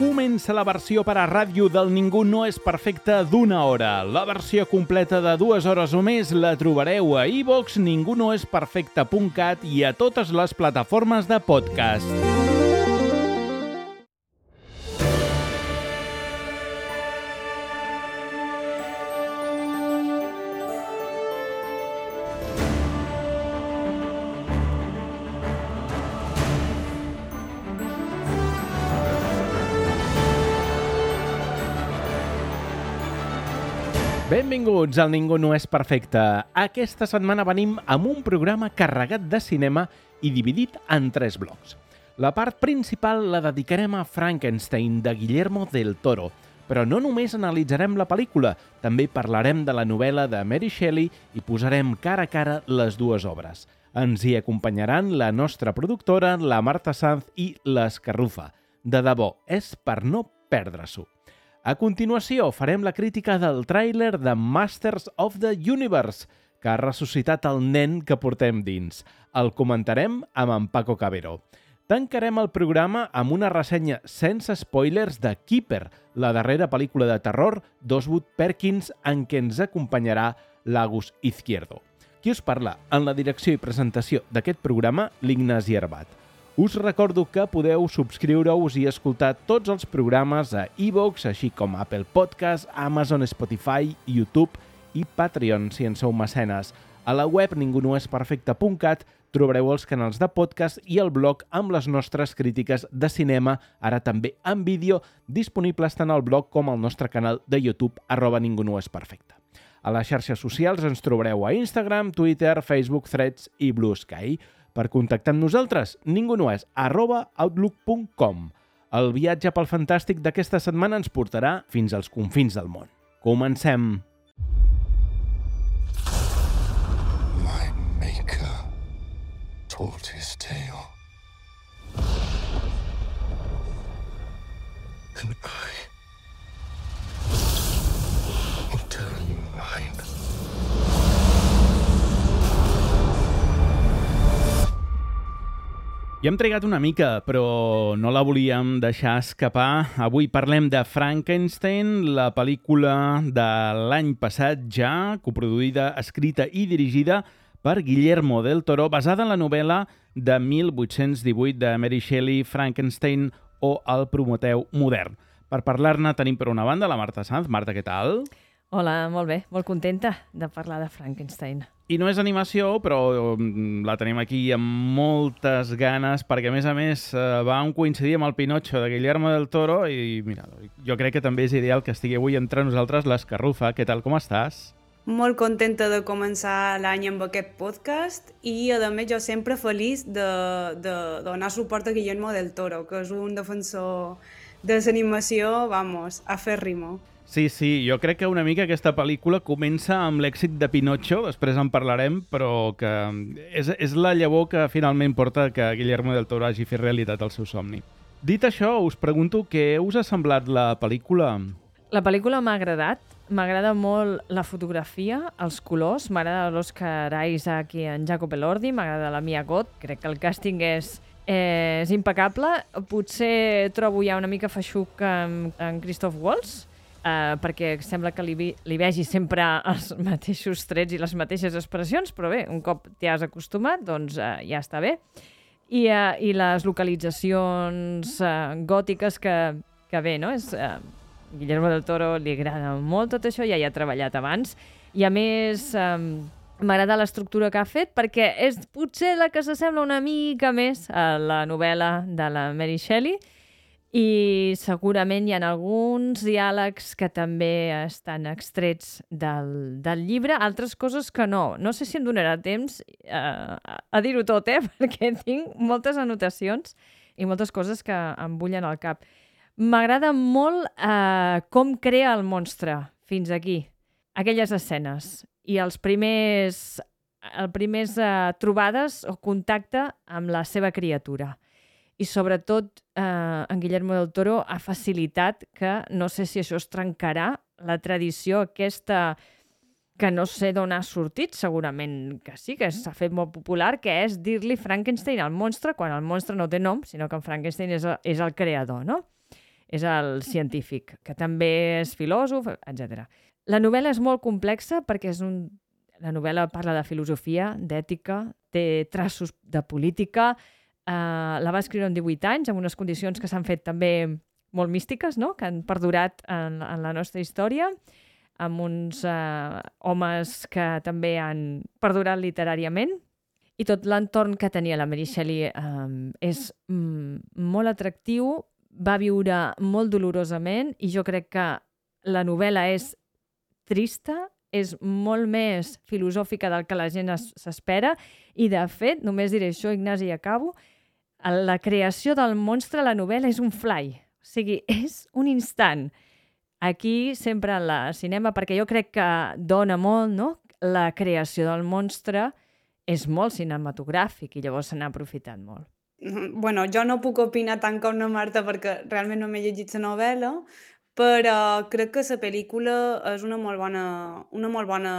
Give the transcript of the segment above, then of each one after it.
Comença la versió per a ràdio del Ningú no és perfecte d'1 hora. La versió completa de 2 hores o més la trobareu a iVoox, ningunoesperfecte.cat i a totes les plataformes de podcast. Benvinguts al Ningú no és perfecte. Aquesta setmana venim amb un programa carregat de cinema i dividit en 3 blocs. La part principal la dedicarem a Frankenstein, de Guillermo del Toro. Però no només analitzarem la pel·lícula, també parlarem de la novel·la de Mary Shelley i posarem cara a cara les dues obres. Ens hi acompanyaran la nostra productora, la Marta Sanz i l'Escarrufa. De debò, és per no perdre-s'ho. A continuació, farem la crítica del tràiler de Masters of the Universe, que ha ressuscitat el nen que portem dins. El comentarem amb en Paco Cabero. Tancarem el programa amb una ressenya sense spoilers de Keeper, la darrera pel·lícula de terror d'Oswood Perkins en què ens acompanyarà l'Agus Izquierdo. Qui us parla? En la direcció i presentació d'aquest programa, l'Ignasi Herbat. Us recordo que podeu subscriure-us i escoltar tots els programes a iVoox, així com Apple Podcast, Amazon, Spotify, YouTube i Patreon, si en sou mecenes. A la web ningunoesperfecte.cat trobareu els canals de podcast i el blog amb les nostres crítiques de cinema, ara també en vídeo, disponibles tant al blog com al nostre canal de YouTube, @ningunoesperfecte. A les xarxes socials ens trobareu a Instagram, Twitter, Facebook, Threads i Blue Sky. Per contactar amb nosaltres, ningunoes@outlook.com. El viatge pel fantàstic d'aquesta setmana ens portarà fins als confins del món. Comencem! My maker told his tale. And I will tell you mine. Ja hem trigat una mica, però no la volíem deixar escapar. Avui parlem de Frankenstein, la pel·lícula de l'any passat ja, coproduïda, escrita i dirigida per Guillermo del Toro, basada en la novel·la de 1818 de Mary Shelley, Frankenstein o el Prometeu modern. Per parlar-ne tenim per una banda la Marta Sanz. Marta, què tal? Hola, molt bé, molt contenta de parlar de Frankenstein. I no és animació, però la tenim aquí amb moltes ganes, perquè a més va coincidir amb el Pinocho de Guillermo del Toro i mira, jo crec que també és ideal que estigui avui entre nosaltres l'Escarrufa. Què tal, com estàs? Molt contenta de començar l'any amb aquest podcast i, a més, jo sempre feliç de donar suport a Guillermo del Toro, que és un defensor de l'animació, vamos, a fer rimo. Sí, jo crec que una mica aquesta pel·lícula comença amb l'èxit de Pinocho, després en parlarem, però que és la llavor que finalment porta que Guillermo del Toro hagi fet realitat el seu somni. Dit això, us pregunto què us ha semblat la pel·lícula? La pel·lícula m'ha agradat. M'agrada molt la fotografia, els colors. M'agrada l'Oscar Isaac i en Jacob Elordi. M'agrada la Mia Goth. Crec que el càsting és impecable. Potser trobo ja una mica feixuc en Christoph Waltz, perquè sembla que li vegi sempre els mateixos trets i les mateixes expressions, però bé, un cop t'hi has acostumat, doncs ja està bé. I les localitzacions gòtiques que bé, no? Guillermo del Toro li agrada molt tot això, ja hi ha treballat abans, i a més m'agrada l'estructura que ha fet perquè és potser la que s'assembla una mica més a la novel·la de la Mary Shelley, i segurament hi ha alguns diàlegs que també estan extrets del llibre, altres coses que no. No sé si em donarà temps a dir-ho tot, perquè tinc moltes anotacions i moltes coses que em bullen al cap. M'agrada molt com crea el monstre fins aquí, aquelles escenes, i els primers trobades o contacte amb la seva criatura. I sobretot en Guillermo del Toro ha facilitat que, no sé si això es trencarà, la tradició aquesta que no sé d'on ha sortit, segurament que sí, que s'ha fet molt popular, que és dir-li Frankenstein al monstre, quan el monstre no té nom, sinó que en Frankenstein és el creador, no? és el científic, que també és filòsof, etc. La novel·la és molt complexa perquè la novel·la parla de filosofia, d'ètica, té traços de política, la va escriure en 18 anys, amb unes condicions que s'han fet també molt místiques, no? Que han perdurat en la nostra història, amb uns homes que també han perdurat literàriament, i tot l'entorn que tenia la Mary Shelley és molt atractiu, va viure molt dolorosament, i jo crec que la novel·la és trista, és molt més filosòfica del que la gent s'espera, i de fet, només diré això, Ignasi, i acabo, la creació del monstre a la novel·la és un fly, o sigui, és un instant. Aquí, sempre en la cinema, perquè jo crec que dona molt, no? La creació del monstre és molt cinematogràfic i llavors se n'ha aprofitat molt. Bueno, jo no puc opinar tant com la Marta perquè realment no m'he llegit la novel·la, però crec que la pel·lícula és una molt bona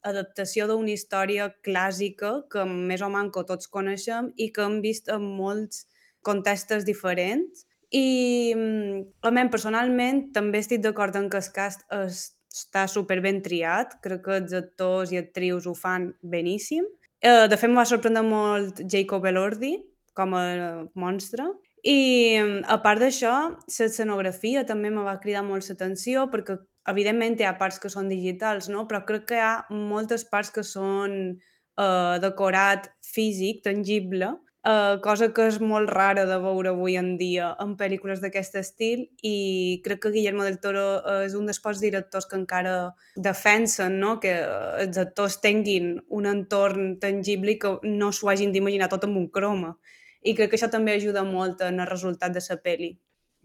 adaptació d'una història clàssica que més o manco tots coneixem i que hem vist en molts contextos diferents. I a mi, personalment, també estic d'acord en que el cast està superben triat. Crec que els actors i actrius ho fan beníssim. De fet, em va sorprendre molt Jacob Elordi com a monstre. I, a part d'això, l'escenografia també me va cridar molt l'atenció perquè, evidentment, hi ha parts que són digitals, no? Però crec que hi ha moltes parts que són decorat físic, tangible, cosa que és molt rara de veure avui en dia en pel·lícules d'aquest estil, i crec que Guillermo del Toro és un dels pocs directors que encara defensen, no? Que els actors tinguin un entorn tangible i que no s'ho hagin d'imaginar tot amb un croma. I crec que això també ajuda molt en el resultat de la pel·li.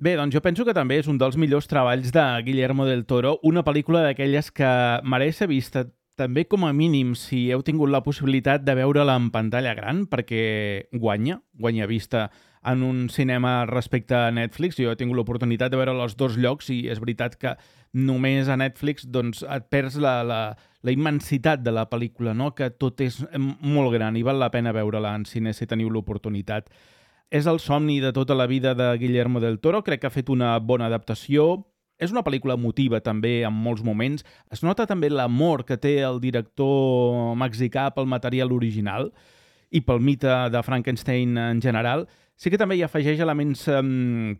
Bé, doncs jo penso que també és un dels millors treballs de Guillermo del Toro, una pel·lícula d'aquelles que mereix ser vista també com a mínim si heu tingut la possibilitat de veure-la en pantalla gran, perquè guanya vista en un cinema respecte a Netflix. Jo he tingut l'oportunitat de veure als dos llocs i és veritat que només a Netflix doncs, et perds la immensitat de la pel·lícula, no? Que tot és molt gran i val la pena veure-la en cine si teniu l'oportunitat. És el somni de tota la vida de Guillermo del Toro, crec que ha fet una bona adaptació. És una pel·lícula emotiva també en molts moments. Es nota també l'amor que té el director mexicà pel material original i pel mite de Frankenstein en general. Sí que també hi afegeix elements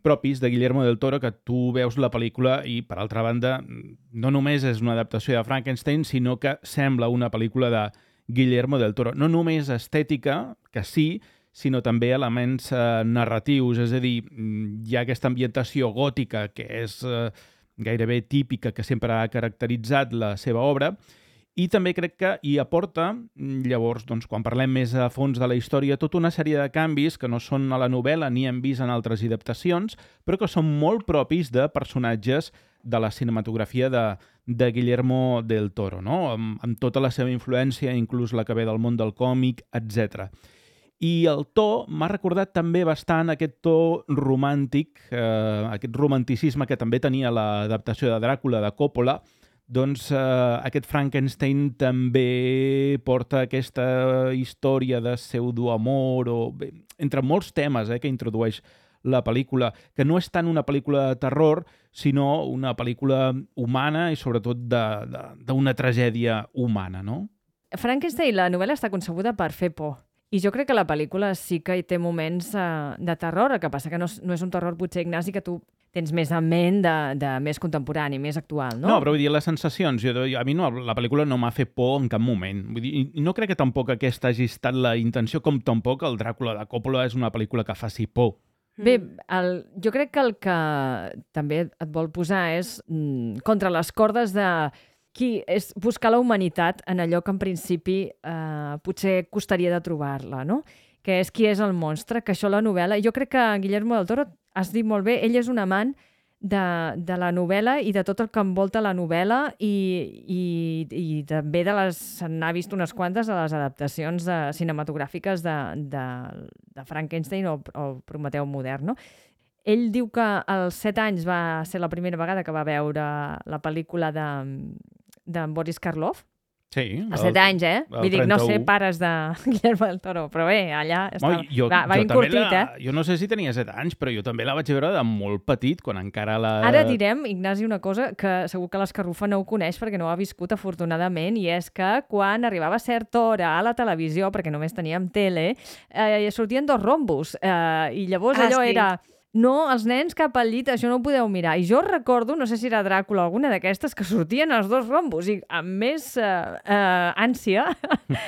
propis de Guillermo del Toro, que tu veus la pel·lícula i, per altra banda, no només és una adaptació de Frankenstein, sinó que sembla una pel·lícula de Guillermo del Toro. No només estètica, que sí, sinó també elements narratius, és a dir, hi ha aquesta ambientació gòtica que és gairebé típica, que sempre ha caracteritzat la seva obra, i també crec que hi aporta, llavors, doncs, quan parlem més a fons de la història, tota una sèrie de canvis que no són a la novel·la ni hem vist en altres adaptacions, però que són molt propis de personatges de la cinematografia de Guillermo del Toro, no? Amb tota la seva influència, inclús la que ve del món del còmic, etc. I el to m'ha recordat també bastant aquest to romàntic, aquest romanticisme que també tenia l'adaptació de Dràcula de Coppola. Doncs aquest Frankenstein també porta aquesta història de pseudoamor, entre molts temes que introdueix la pel·lícula, que no és tant una pel·lícula de terror, sinó una pel·lícula humana i sobretot d'una tragèdia humana, no? Frankenstein, la novel·la està concebuda per fer por. I jo crec que la pel·lícula sí que hi té moments de terror, el que passa que no és un terror, potser, Ignasi, que tu tens més en ment de més contemporani, més actual, no? No, però vull dir, les sensacions, a mi la pel·lícula no m'ha fet por en cap moment. Vull dir, no crec que tampoc aquesta hagi estat la intenció, com tampoc el Dràcula de Coppola és una pel·lícula que faci por. Bé, jo crec que el que també et vol posar és contra les cordes de és buscar la humanitat en allò que en principi potser costaria de trobar-la, no? Que és qui és el monstre, que això la novel·la... Jo crec que Guillermo del Toro, has dit molt bé, ell és un amant de la novel·la i de tot el que envolta la novel·la i també se n'ha vist unes quantes de les adaptacions cinematogràfiques de Frankenstein o Prometeu modern, no? Ell diu que als 7 anys va ser la primera vegada que va veure la pel·lícula de Boris Karloff, Sí. A 7 anys, el Vull dir, no sé 31. pares de Guillermo del Toro, però bé, allà Home, va també incortit, Jo no sé si tenia 7 anys, però jo també la vaig veure de molt petit, quan encara la... Ara direm, Ignasi, una cosa que segur que l'Escarrufa no ho coneix perquè no ho ha viscut afortunadament, i és que quan arribava certa hora a la televisió, perquè només teníem tele, sortien 2 rombos, i llavors allò sí. era... No, els nens cap al llit, això no ho podeu mirar. I jo recordo, no sé si era Dràcula o alguna d'aquestes, que sortien els 2 rombos i amb més ànsia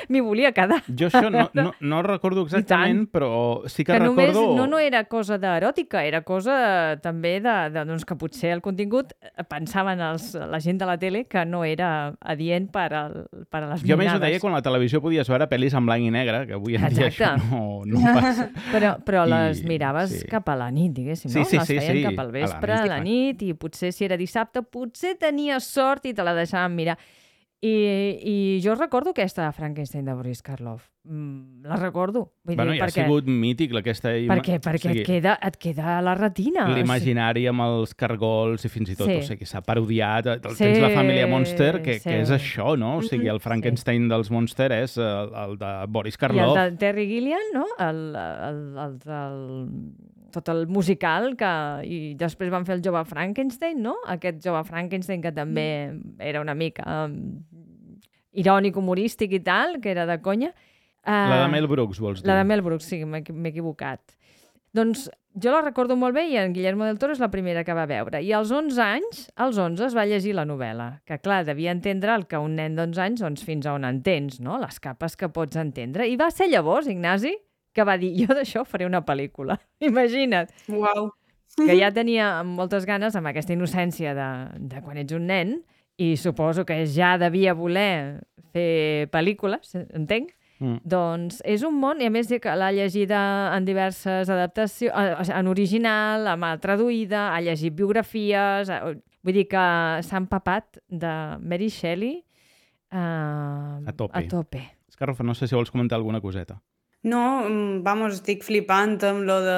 m'hi volia quedar. Jo això no recordo exactament, però sí que recordo... Només no era cosa d'eròtica, era cosa també doncs, que potser el contingut pensaven la gent de la tele que no era adient per a les Jo més ho ninades. deia quan la televisió podies veure pel·lis en blanc i negre, que avui en dia això no passa. Però les miraves cap a la nit, diguéssim, no? Les feien cap al vespre, a la nit, i potser si era dissabte, potser tenies sort i te la deixaven mirar. I jo recordo aquesta de Frankenstein de Boris Karloff. La recordo. Vull dir, Ha sigut mític aquesta... Perquè et queda a la retina. L'imaginari amb els cargols i fins i tot, o sigui, s'ha parodiat. Tens la Sí, família Monster, que sí. és això, no? O sigui, el Frankenstein dels Monster és el de Boris I Karloff. el de Terry Gilliam, no? El del tot el musical, i després van fer el Jove Frankenstein, no? Aquest Jove Frankenstein que també era una mica irònic, humorístic i tal, que era de conya. La de Mel Brooks, vols dir? La de Mel Brooks, sí, m'he equivocat. Doncs jo la recordo molt bé i en Guillermo del Toro és la primera que va veure. I als 11 anys, als 11 es va llegir la novel·la, que clar, devia entendre el que un nen d'11 anys, doncs fins a on entens, no? Les capes que pots entendre. I va ser llavors, Ignasi, que va dir, jo d'això faré una pel·lícula. Imagina't. Uau. Que ja tenia moltes ganes, amb aquesta innocència de quan ets un nen, i suposo que ja devia voler fer pel·lícules, entenc? Doncs és un món, i a més que l'ha llegida en diverses adaptacions, en original, amb traduïda, ha llegit biografies, vull dir que s'ha empapat de Mary Shelley a tope. Escarrofa, no sé si vols comentar alguna coseta. No, vamos, estic flipant amb lo de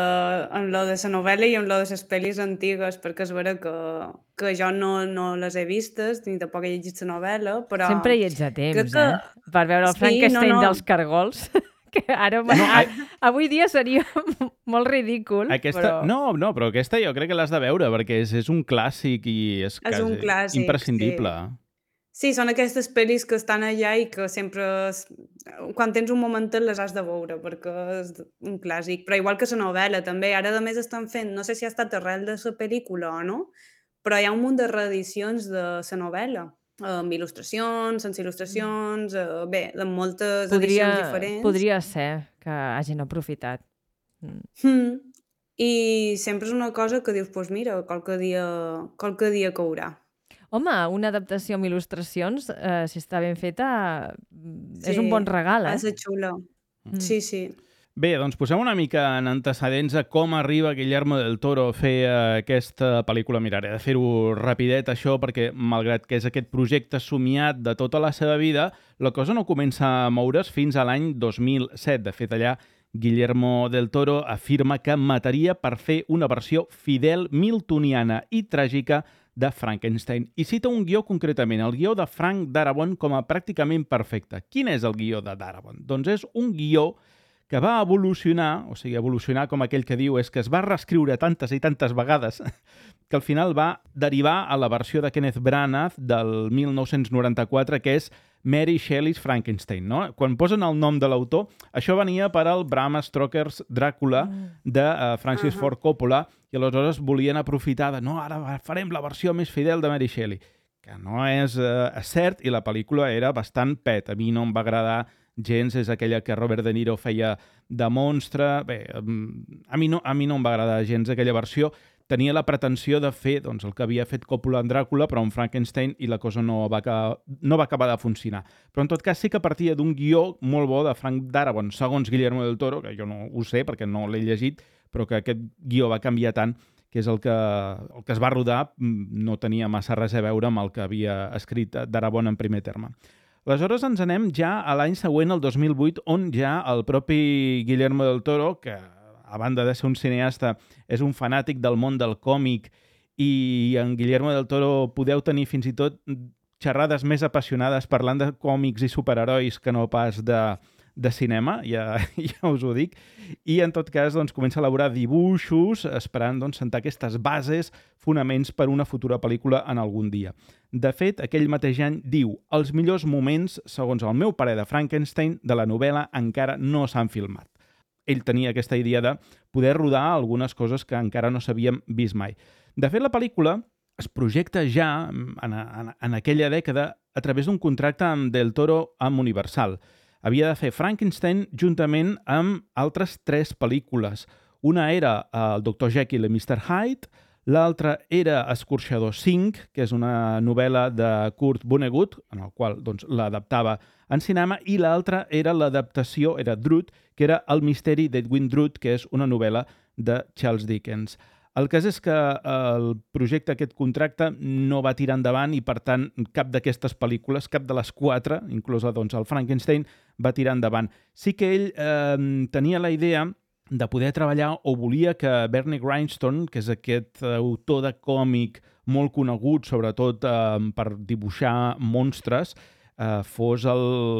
la novel·la i amb lo de les pel·lis antigues, perquè és vera que jo no les he vistes, ni tampoc he llegit la novel·la, però... Sempre hi ets a temps, per veure el Frankenstein dels cargols, que ara avui dia seria molt ridícul. Però... No, però aquesta jo crec que l'has de veure, perquè és un clàssic i és un clàssic, imprescindible. Sí, són aquestes pel·lis que estan allà i que sempre, quan tens un momentet, les has de veure, perquè és un clàssic. Però igual que la novel·la, també. Ara, a més, estan fent, no sé si ha estat arrel de la pel·lícula o no, però hi ha un munt de reedicions de la novel·la, amb il·lustracions, sense il·lustracions, bé, de moltes edicions diferents. Podria ser que hagin aprofitat. I sempre és una cosa que dius, doncs mira, qualque dia caurà. Home, una adaptació amb il·lustracions, si està ben feta, és un bon regal, ha de ser xula. Sí. Bé, doncs posem una mica en antecedents a com arriba Guillermo del Toro a fer aquesta pel·lícula. Miraré de fer-ho rapidet, això, perquè malgrat que és aquest projecte somiat de tota la seva vida, la cosa no comença a moure's fins a l'any 2007. De fet, allà Guillermo del Toro afirma que mataria per fer una versió fidel, miltoniana i tràgica de Frankenstein. I cita un guió concretament, el guió de Frank Darabont, com a pràcticament perfecte. Quin és el guió de Darabont? Doncs és un guió que va evolucionar, o sigui, evolucionar com aquell que diu és que es va reescriure tantes i tantes vegades que al final va derivar a la versió de Kenneth Branagh del 1994, que és Mary Shelley's Frankenstein, no? Quan posen el nom de l'autor, això venia per al Bram Stoker's Dràcula de Francis Ford Coppola, i aleshores volien aprofitar de no, ara farem la versió més fidel de Mary Shelley, que no és cert, i la pel·lícula era bastant pet. A mi no em va agradar gens, és aquella que Robert De Niro feia de monstre. Bé, a mi no em va agradar gens aquella versió. Tenia la pretensió de fer doncs, el que havia fet Coppola en Dràcula, però en Frankenstein, i la cosa no va acabar de funcionar. Però en tot cas sí que partia d'un guió molt bo de Frank Darabont, segons Guillermo del Toro, que jo no ho sé perquè no l'he llegit, però que aquest guió va canviar tant que és el que es va rodar no tenia massa res a veure amb el que havia escrit Darabont en primer terme. Aleshores ens anem ja a l'any següent, el 2008, on ja el propi Guillermo del Toro, que a banda de ser un cineasta, és un fanàtic del món del còmic, i en Guillermo del Toro podeu tenir fins i tot xerrades més apassionades parlant de còmics i superherois que no pas de cinema, ja us ho dic, i en tot cas doncs, comença a elaborar dibuixos esperant doncs, sentar aquestes bases, fonaments per una futura pel·lícula en algun dia. De fet, aquell mateix any diu els millors moments, segons el meu parer de Frankenstein, de la novel·la encara no s'han filmat. Ell tenia aquesta idea de poder rodar algunes coses que encara no s'havien vist mai. De fet, la pel·lícula es projecta ja en aquella dècada a través d'un contracte amb Del Toro amb Universal. Havia de fer Frankenstein juntament amb altres 3 pel·lícules. Una era el Dr. Jekyll i Mr. Hyde, l'altra era Escorxador 5, que és una novel·la de Kurt Vonnegut, en el qual doncs, l'adaptava en cinema, i l'altra era l'adaptació, era Drood, que era El misteri d'Edwin Drood, que és una novel·la de Charles Dickens. El cas és que el projecte, aquest contracte, no va tirar endavant i, per tant, cap d'aquestes pel·lícules, cap de les 4, inclosa doncs, el Frankenstein, va tirar endavant. Sí que ell tenia la idea de poder treballar o volia que Bernie Wrightson, que és aquest autor de còmic molt conegut, sobretot per dibuixar monstres, fos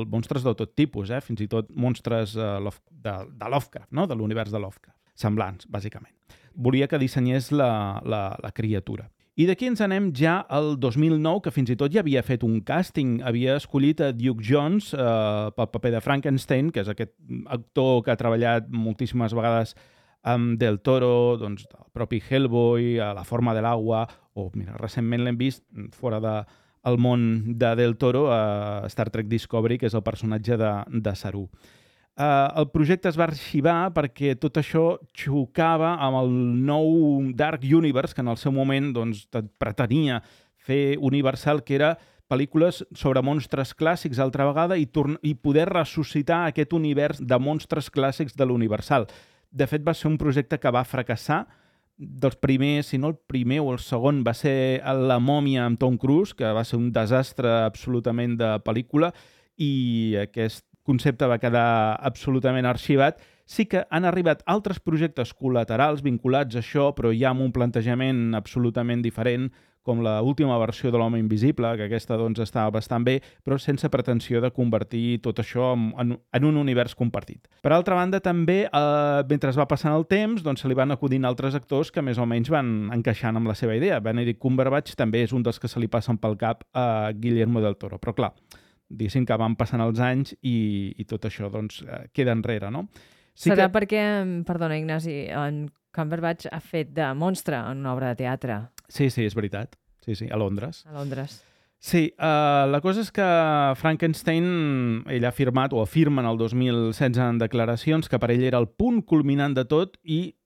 monstres de tot tipus, fins i tot monstres de Lovecraft, no? De l'univers de Lovecraft, semblants, bàsicament. Volia que dissenyés la criatura. I d'aquí ens anem ja al 2009, que fins i tot ja havia fet un càsting. Havia escollit a Duke Jones pel paper de Frankenstein, que és aquest actor que ha treballat moltíssimes vegades amb Del Toro, doncs, el propi Hellboy, a La forma de l'aigua, o mira, recentment l'hem vist fora del món de Del Toro a Star Trek Discovery, que és el personatge de Saru. El projecte es va arxivar perquè tot això xocava amb el nou Dark Universe, que en el seu moment doncs, pretenia fer Universal, que era pel·lícules sobre monstres clàssics altra vegada i poder ressuscitar aquest univers de monstres clàssics de l'Universal. De fet, va ser un projecte que va fracassar. Dels primers, si no el primer o el segon, va ser La mòmia amb Tom Cruise, que va ser un desastre absolutament de pel·lícula, i aquest concepte va quedar absolutament arxivat. Sí que han arribat altres projectes col·laterals vinculats a això, però ja amb un plantejament absolutament diferent, com l'última versió de l'Home Invisible, que aquesta doncs, estava bastant bé, però sense pretensió de convertir tot això en un univers compartit. Per altra banda, també, mentre es va passant el temps, doncs, se li van acudint altres actors que més o menys van encaixant amb la seva idea. Benedict Cumberbatch també és un dels que se li passen pel cap a Guillermo del Toro, però clar, diguéssim que van passant els anys i tot això doncs, queda enrere, no? Sí serà perquè, perdona Ignasi, en Cumberbatch ha fet de monstre en una obra de teatre. Sí, és veritat. Sí, a Londres. A Londres. Sí, la cosa és que Frankenstein, ell ha afirmat, o afirma en el 2016 en declaracions, que per ell era el punt culminant de tot i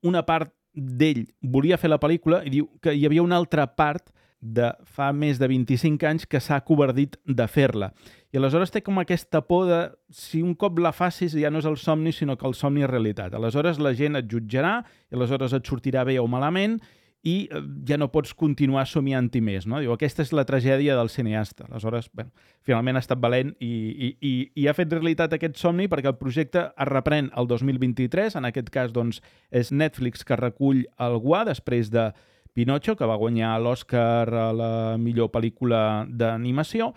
una part d'ell volia fer la pel·lícula i diu que hi havia una altra part de fa més de 25 anys que s'ha covardit de fer-la. I aleshores té com aquesta por de si un cop la facis ja no és el somni, sinó que el somni és realitat. Aleshores la gent et jutjarà i aleshores et sortirà bé o malament i ja no pots continuar somiant-hi més, no? Diu, aquesta és la tragèdia del cineasta. Aleshores, finalment ha estat valent i ha fet realitat aquest somni perquè el projecte es reprèn el 2023. En aquest cas, doncs, és Netflix que recull el guà després de Pinocho, que va guanyar l'Oscar a la millor pel·lícula d'animació,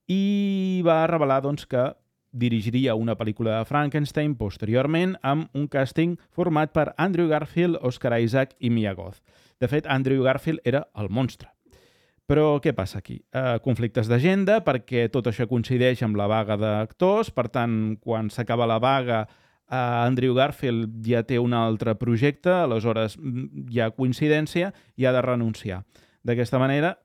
i va revelar doncs, que dirigiria una pel·lícula de Frankenstein posteriorment amb un càsting format per Andrew Garfield, Oscar Isaac i Mia Goth. De fet, Andrew Garfield era el monstre. Però què passa aquí? Conflictes d'agenda, perquè tot això coincideix amb la vaga d'actors, per tant, quan s'acaba la vaga, Andrew Garfield ja té un altre projecte, aleshores hi ha coincidència i ha de renunciar. D'aquesta manera,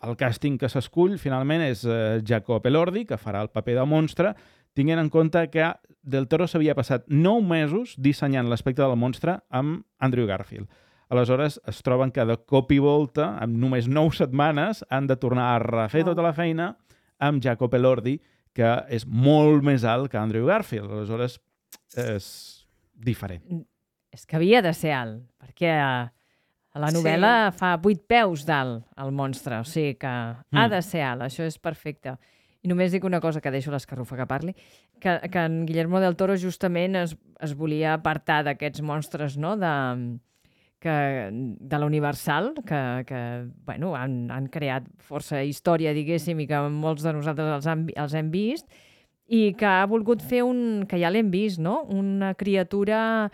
el càsting que s'escull finalment és Jacob Elordi, que farà el paper de monstre, tinguent en compte que Del Toro s'havia passat 9 mesos dissenyant l'aspecte del monstre amb Andrew Garfield. Aleshores es troben que de cop i volta, amb només 9 setmanes, han de tornar a refer tota la feina amb Jacob Elordi, que és molt més alt que Andrew Garfield. Aleshores és diferent. És que havia de ser alt, perquè a la novel·la fa 8 peus d'alt el monstre, o sigui que ha de ser alt, això és perfecte. I només dic una cosa, que deixo l'Escarrufa que parli, que en Guillermo del Toro justament es volia apartar d'aquests monstres, no?, de la Universal, que bueno, han creat força història, diguéssim, i que molts de nosaltres els hem vist, i que ha volgut fer que ja l'hem vist, no? Una criatura,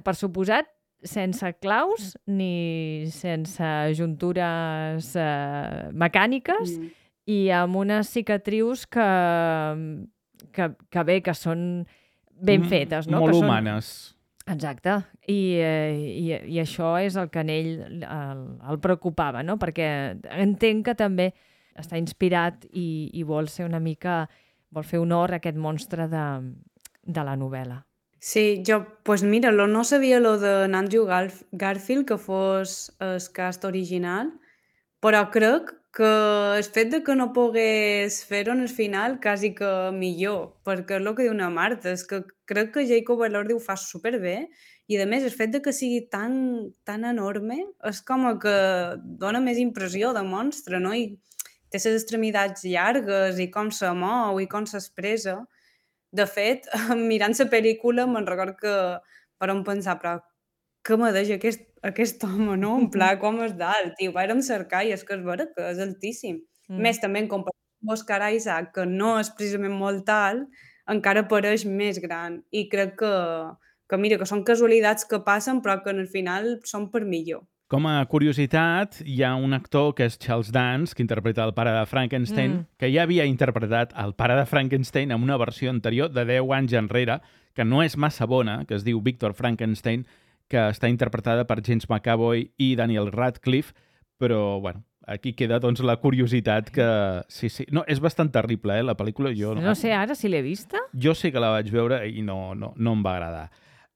per suposat, sense claus ni sense juntures mecàniques i amb unes cicatrius que bé, que són ben fetes, no? Molt que humanes. Exacte. I això és el que en ell el preocupava, no? Perquè entenc que també està inspirat i vol ser una mica... vol fer honor a aquest monstre de la novel·la. Sí, pues mira, no sabia lo de Andrew Garfield, que fos el cast original, però crec que el fet de que no pogués fer-ho en el final quasi que millor, perquè és el que diu una Marta, és que crec que Jacob Elordi ho fa superbé, i a més el fet de que sigui tan enorme és com que dona més impressió de monstre, no? I té les extremitats llargues i com se mou i com s'expressa. De fet, mirant la pel·lícula me'n record que vam pensar, però què me deixa aquest home, no? En pla, com és d'alt? I ho vàrem cercar i és que és vera que és altíssim. Més també en comparació amb Oscar Isaac, que no és precisament molt alt, encara pareix més gran. I crec que mira, que són casualitats que passen però que al final són per millor. Com a curiositat, hi ha un actor que és Charles Dance, que interpreta el pare de Frankenstein, que ja havia interpretat el pare de Frankenstein en una versió anterior de 10 anys enrere, que no és massa bona, que es diu Victor Frankenstein, que està interpretada per James McAvoy i Daniel Radcliffe, però, bueno, aquí queda doncs la curiositat que... Sí. No, és bastant terrible, la pel·lícula. No sé ara si l'he vista. Jo sí que la vaig veure i no em va agradar.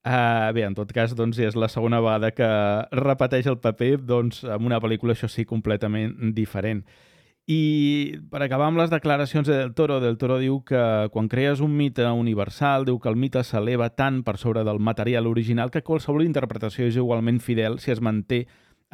Bé, en tot cas, doncs, és la segona vegada que repeteix el paper doncs, en una pel·lícula, això sí, completament diferent. I per acabar amb les declaracions de Del Toro diu que quan crees un mite universal, diu que el mite s'eleva tant per sobre del material original que qualsevol interpretació és igualment fidel si es manté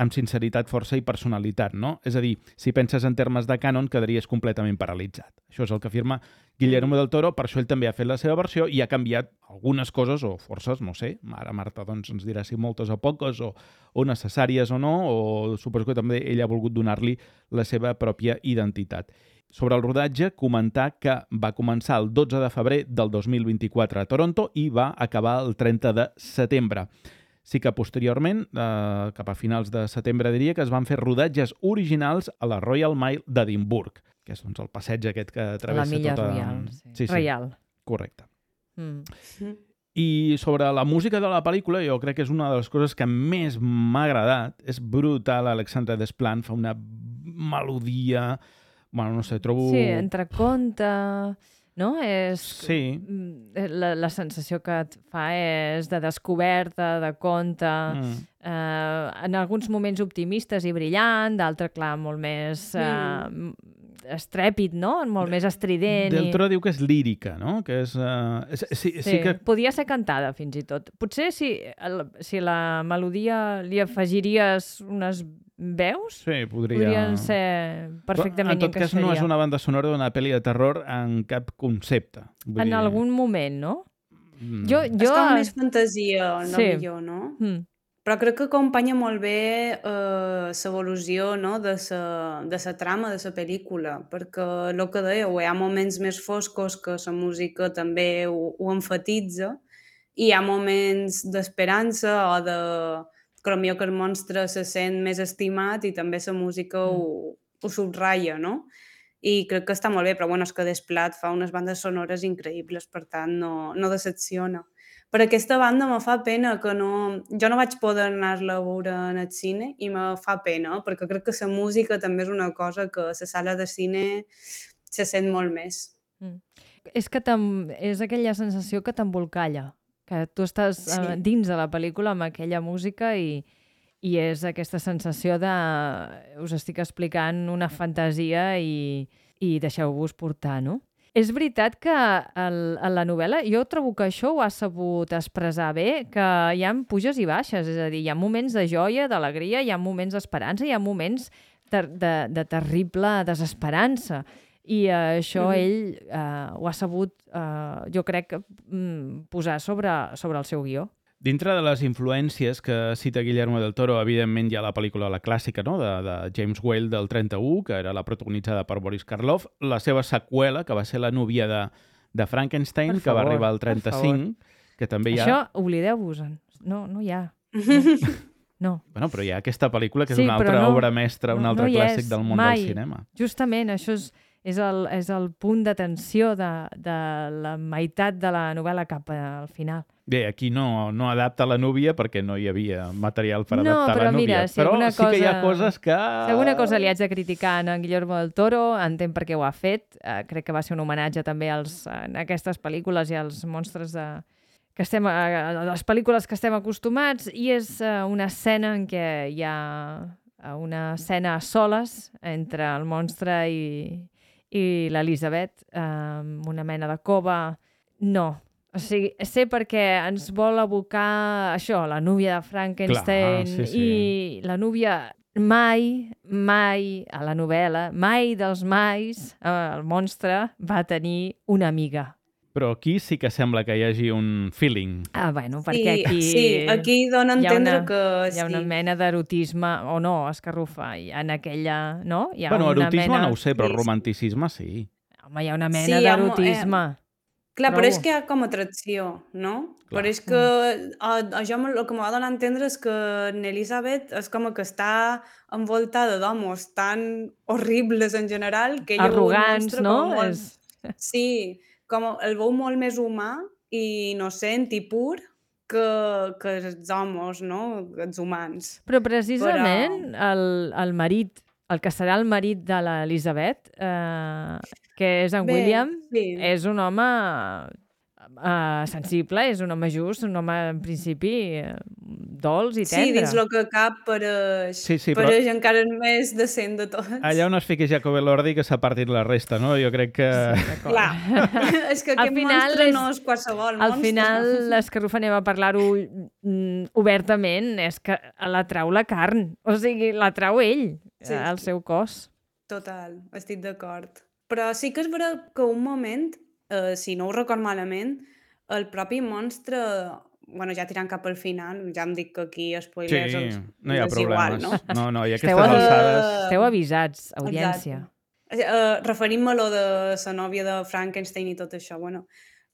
amb sinceritat, força i personalitat, no? És a dir, si penses en termes de cànon, quedaries completament paralitzat. Això és el que afirma Guillermo del Toro, per això ell també ha fet la seva versió i ha canviat algunes coses, o forces, no sé, ara Marta doncs, ens dirà si moltes o poques, o necessàries o no, o suposo que també ell ha volgut donar-li la seva pròpia identitat. Sobre el rodatge, comentar que va començar el 12 de febrer del 2024 a Toronto i va acabar el 30 de setembre. Sí que posteriorment, cap a finals de setembre, diria que es van fer rodatges originals a la Royal Mile d'Edimburg, que és doncs, el passeig aquest que travessa la milla tota... Royal, sí. Reial. Correcte. I sobre la música de la pel·lícula, jo crec que és una de les coses que més m'ha agradat. És brutal, Alexandre Desplat fa una melodia... Bueno, no sé, trobo... Sí, entre conte... No? Sí. La sensació que et fa és de descoberta, de conte, en alguns moments optimistes i brillant, d'altre, clar, molt més estrèpid, no? Molt més estrident. Del Toro diu que és lírica, no? Que és, sí que... Podia ser cantada, fins i tot. Potser si la melodia li afegiries unes veus, sí, podrien ser perfectament en tot cas no és una banda sonora d'una pel·li de terror en cap concepte. En algun moment, no? És com més fantasia, no millor, no? Però crec que acompanya molt bé l'evolució, no? de la trama de la pel·lícula, perquè el que dèieu, hi ha moments més foscos que la música també ho enfatitza, i hi ha moments d'esperança o de... que potser que el monstre se sent més estimat i també la música ho subratlla, no? I crec que està molt bé, però bueno, és que Desplat fa unes bandes sonores increïbles, per tant no decepciona. Per aquesta banda me fa pena que no... Jo no vaig poder anar-la a veure en el cine i me fa pena, perquè crec que la música també és una cosa que a la sala de cine se sent molt més. És que és aquella sensació que t'embolcalla, que tu estàs dins de la pel·lícula amb aquella música i és aquesta sensació de... Us estic explicant una fantasia i deixeu-vos portar, no? És veritat que en la novel·la jo trobo que això ho ha sabut expressar bé, que hi ha puges i baixes, és a dir, hi ha moments de joia, d'alegria, hi ha moments d'esperança, hi ha moments de terrible desesperança. I això ell ho ha sabut, jo crec, posar sobre el seu guió. Dintre de les influències que cita Guillermo del Toro, evidentment hi ha la pel·lícula, la clàssica, no?, de James Whale del 31, que era la protagonitzada per Boris Karloff, la seva seqüela, que va ser La núvia de Frankenstein, Per que va favor, arribar al per 35, que també hi ha... Això, oblideu-vos-en. No hi ha. No. Bueno, però hi ha aquesta pel·lícula que és Sí, una però altra no- obra mestra, un no altre hi clàssic és, del món mai. del cinema. Justament, això és el punt d'atenció de la meitat de la novel·la cap al final. Bé, aquí no adapta la núvia perquè no hi havia material per No, adaptar però la núvia. mira, si però alguna sí que hi ha cosa- coses que... Si alguna cosa li haig de criticar a en Guillermo del Toro, entenc per què ho ha fet. Crec que va ser un homenatge també en aquestes pel·lícules i als monstres que estem, a les pel·lícules que estem acostumats, i és una escena en què hi ha una escena a soles entre el monstre i l'Elisabet, una mena de cova. No. O sigui, sé perquè ens vol abocar això, la núvia de Frankenstein. Clar, sí. I la núvia mai a la novel·la, mai dels mais, el monstre va tenir una amiga. Però aquí sí que sembla que hi hagi un feeling. Bueno, perquè aquí... Sí, aquí dona a entendre que hi ha una mena d'erotisme, o no, escarrufa, en aquella, no? Hi ha Bueno, una erotisme mena... no ho sé, però Sí. romanticisme sí. Home, hi ha una mena Sí, hi ha d'erotisme. Clar, però Trobo. és que hi ha com atracció, no? Clar. Però és que això el que m'ha de donar a entendre és que Elisabet és com que està envoltada d'homes tan horribles en general que ella veu un Arrogants, monstre no? com molt... És... Sí, com el veu molt més humà i innocent i pur que els homes, no? Els humans. Però precisament el marit, el que serà el marit de l'Elisabet, que és en Bé, William, sí. és un home sensible, és un home just, un home en principi dolç i Sí, tendre. dins el que cap pareix, Sí, però- pareix encara el més decent de tots. Allà on es fiqui Jacob Elordi que s'ha partit la resta, no? Jo crec que... D'acord. Clar, és que Al aquest final monstre és- no és qualsevol Al monstre. final, l'Escarrufa, anem a parlar-ho obertament, és que l'atrau la carn. O sigui, l'atrau ell, Sí, el seu cos. Total, estic d'acord. Però sí que és veritat que un moment, si no ho record malament, el propi monstre, bueno, ja tirant cap al final, ja em dic que aquí spoilers Sí, no hi ha és igual, problemes. no? No, i Esteu aquestes avi- alçades... Esteu avisats, audiència. Referint-me a lo de la nòvia de Frankenstein i tot això, bueno,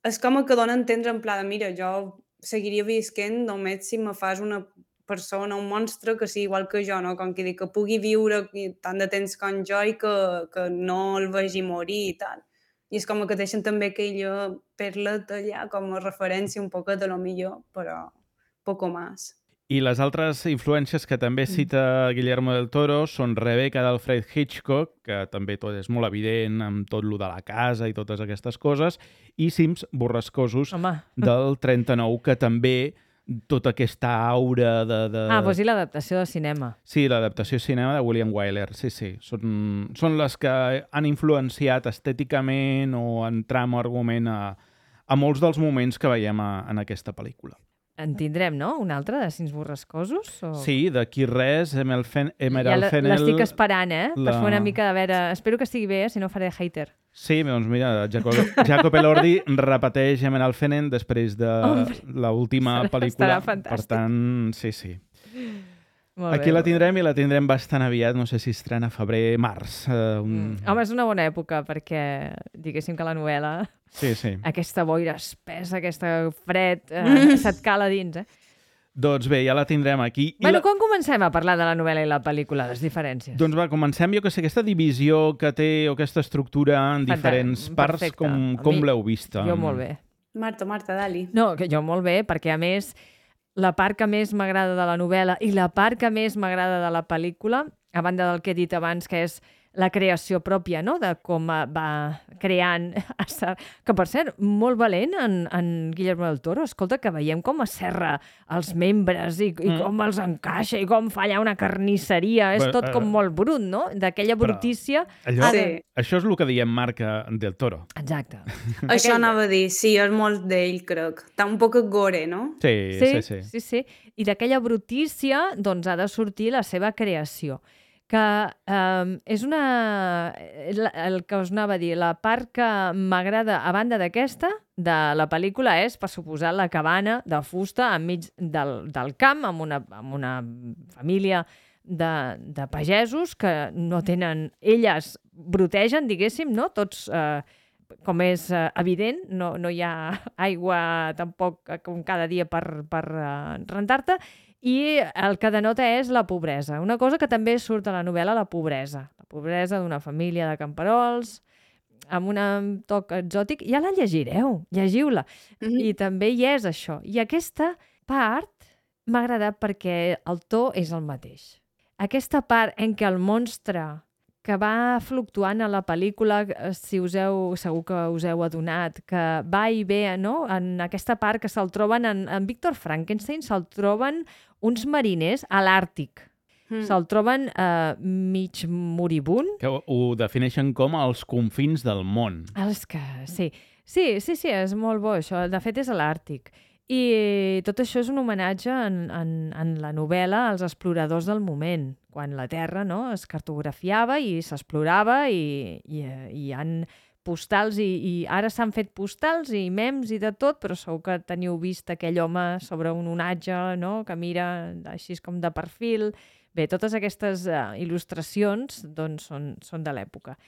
és com que dona a entendre en pla de, mira, jo seguiria visquent només si me fas una persona, un monstre que sigui igual que jo, no? Com que dic, que pugui viure tant de temps com jo i que no el vegi morir i tal. I és com que deixen també aquella perla allà com a referència un poquet de lo millor, però poco más. I les altres influències que també cita Guillermo del Toro són Rebecca d'Alfred Hitchcock, que també tot és molt evident amb tot lo de la casa i totes aquestes coses, i Cims borrascosos Home. del 39, que també tota aquesta aura de... Doncs i l'adaptació de cinema. Sí, l'adaptació a cinema de William Wyler, sí. Són les que han influenciat estèticament o en tram o argument a molts dels moments que veiem en aquesta pel·lícula. En tindrem, no? Un altre de Cims borrascosos? O... Sí, d'aquí res, Emerald Ja Fennell... l'estic esperant, per la- fer una mica de veure... Espero que estigui bé, si no faré hater. Sí, doncs mira, Jacob Elordi repeteix Emerald Fennell després de Hombre, l'última estarà pel·lícula. fantàstic. Per tant, sí. Molt Aquí bé, la molt bé. tindrem i la tindrem bastant aviat, no sé si estrena febrer, març. Home, és una bona època perquè, diguéssim que la novel·la, Sí. aquesta boira espessa, aquesta fred, se't cala dins, Doncs bé, ja la tindrem aquí. Bueno, quan comencem a parlar de la novel·la i la pel·lícula, les diferències? Doncs va, comencem, jo que sé, aquesta divisió que té o aquesta estructura en diferents parts, perfecte. com A mi- l'heu vista? Jo molt bé. Marta, Dali. No, que jo molt bé, perquè a més la part que més m'agrada de la novel·la i la part que més m'agrada de la pel·lícula, a banda del que he dit abans, que és la creació pròpia, no?, de com va creant... Que, per cert, molt valent en Guillermo del Toro. Escolta, que veiem com serra els membres i com els encaixa i com fa allà una carnisseria. És Bé, tot com molt brut, no? D'aquella brutícia... Allò, Sí. Això és el que diem marca del Toro. Exacte. Això anava a dir, sí, és molt d'ell, crec. Està un poc gore, no? Sí. Sí. I d'aquella brutícia, doncs, ha de sortir la seva creació. que és el que us anava a dir, la part que m'agrada a banda d'aquesta, de la pel·lícula, és, per suposar, la cabana de fusta enmig del camp, amb una família de pagesos que no tenen... Elles brotegen, diguéssim, no? Tots, com és evident, no hi ha aigua tampoc com cada dia per rentar-te, i el que denota és la pobresa. Una cosa que també surt a la novel·la, la pobresa. La pobresa d'una família de camperols, amb un toc exòtic. Ja la llegireu, llegiu-la. I també hi és això. I aquesta part m'ha agradat perquè el to és el mateix. Aquesta part en què el monstre que va fluctuant a la pel·lícula, segur que us heu adonat, que va i ve, no? En aquesta part que se'l troben, en Víctor Frankenstein, se'l troben uns mariners a l'Àrtic. Se'l troben mig moribund. Que ho defineixen com els confins del món. Sí, és molt bo això. De fet, és a l'Àrtic. I tot això és un homenatge en la novel·la als exploradors del moment, quan la Terra es cartografiava i s'explorava i hi han postals i ara s'han fet postals i memes i de tot, però segur que teniu vist aquell home sobre un onatge que mira així com de perfil. Bé, totes aquestes il·lustracions doncs, són de l'època.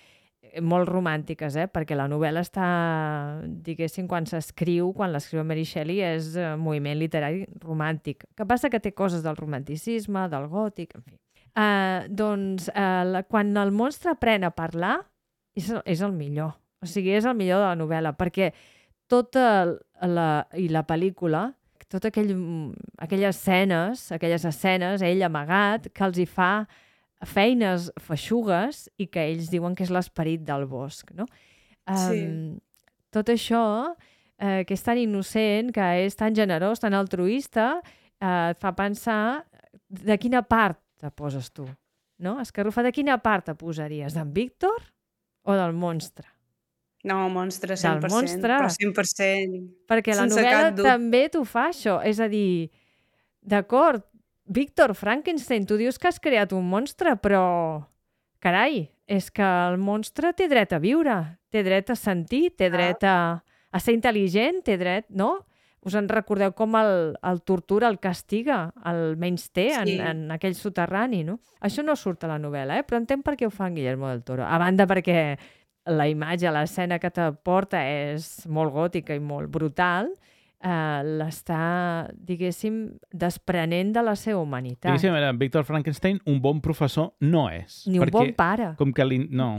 Molt romàntiques, perquè la novel·la està, diguéssim, quan l'escriu Mary Shelley, és moviment literari romàntic. Que passa que té coses del romanticisme, del gòtic, en fi. Quan el monstre aprèn a parlar, és el millor. O sigui, és el millor de la novel·la, perquè la pel·lícula, totes aquelles escenes, ell amagat, que els hi fa feines feixugues i que ells diuen que és l'esperit del bosc, no? Tot això, que és tan innocent, que és tan generós, tan altruista, et fa pensar de quina part te poses tu, no? Escarrufa, de quina part te posaries? D'en Víctor o del monstre? No, monstre 100%, del monstre. Però 100%. Perquè la novel·la també t'ho fa, això. És a dir, d'acord, Víctor Frankenstein, tu dius que has creat un monstre, però, carai, és que el monstre té dret a viure, té dret a sentir, té dret a ser intel·ligent, té dret, no? Us en recordeu com el tortura, el castiga, el menysté en aquell soterrani, no? Això no surt a la novel·la, però entenc per què ho fa en Guillermo del Toro. A banda perquè la imatge, l'escena que t'aporta és molt gòtica i molt brutal, l'està, diguéssim, desprenent de la seva humanitat. Diguéssim, Víctor Frankenstein, un bon professor no és. Ni un bon pare. Com que no.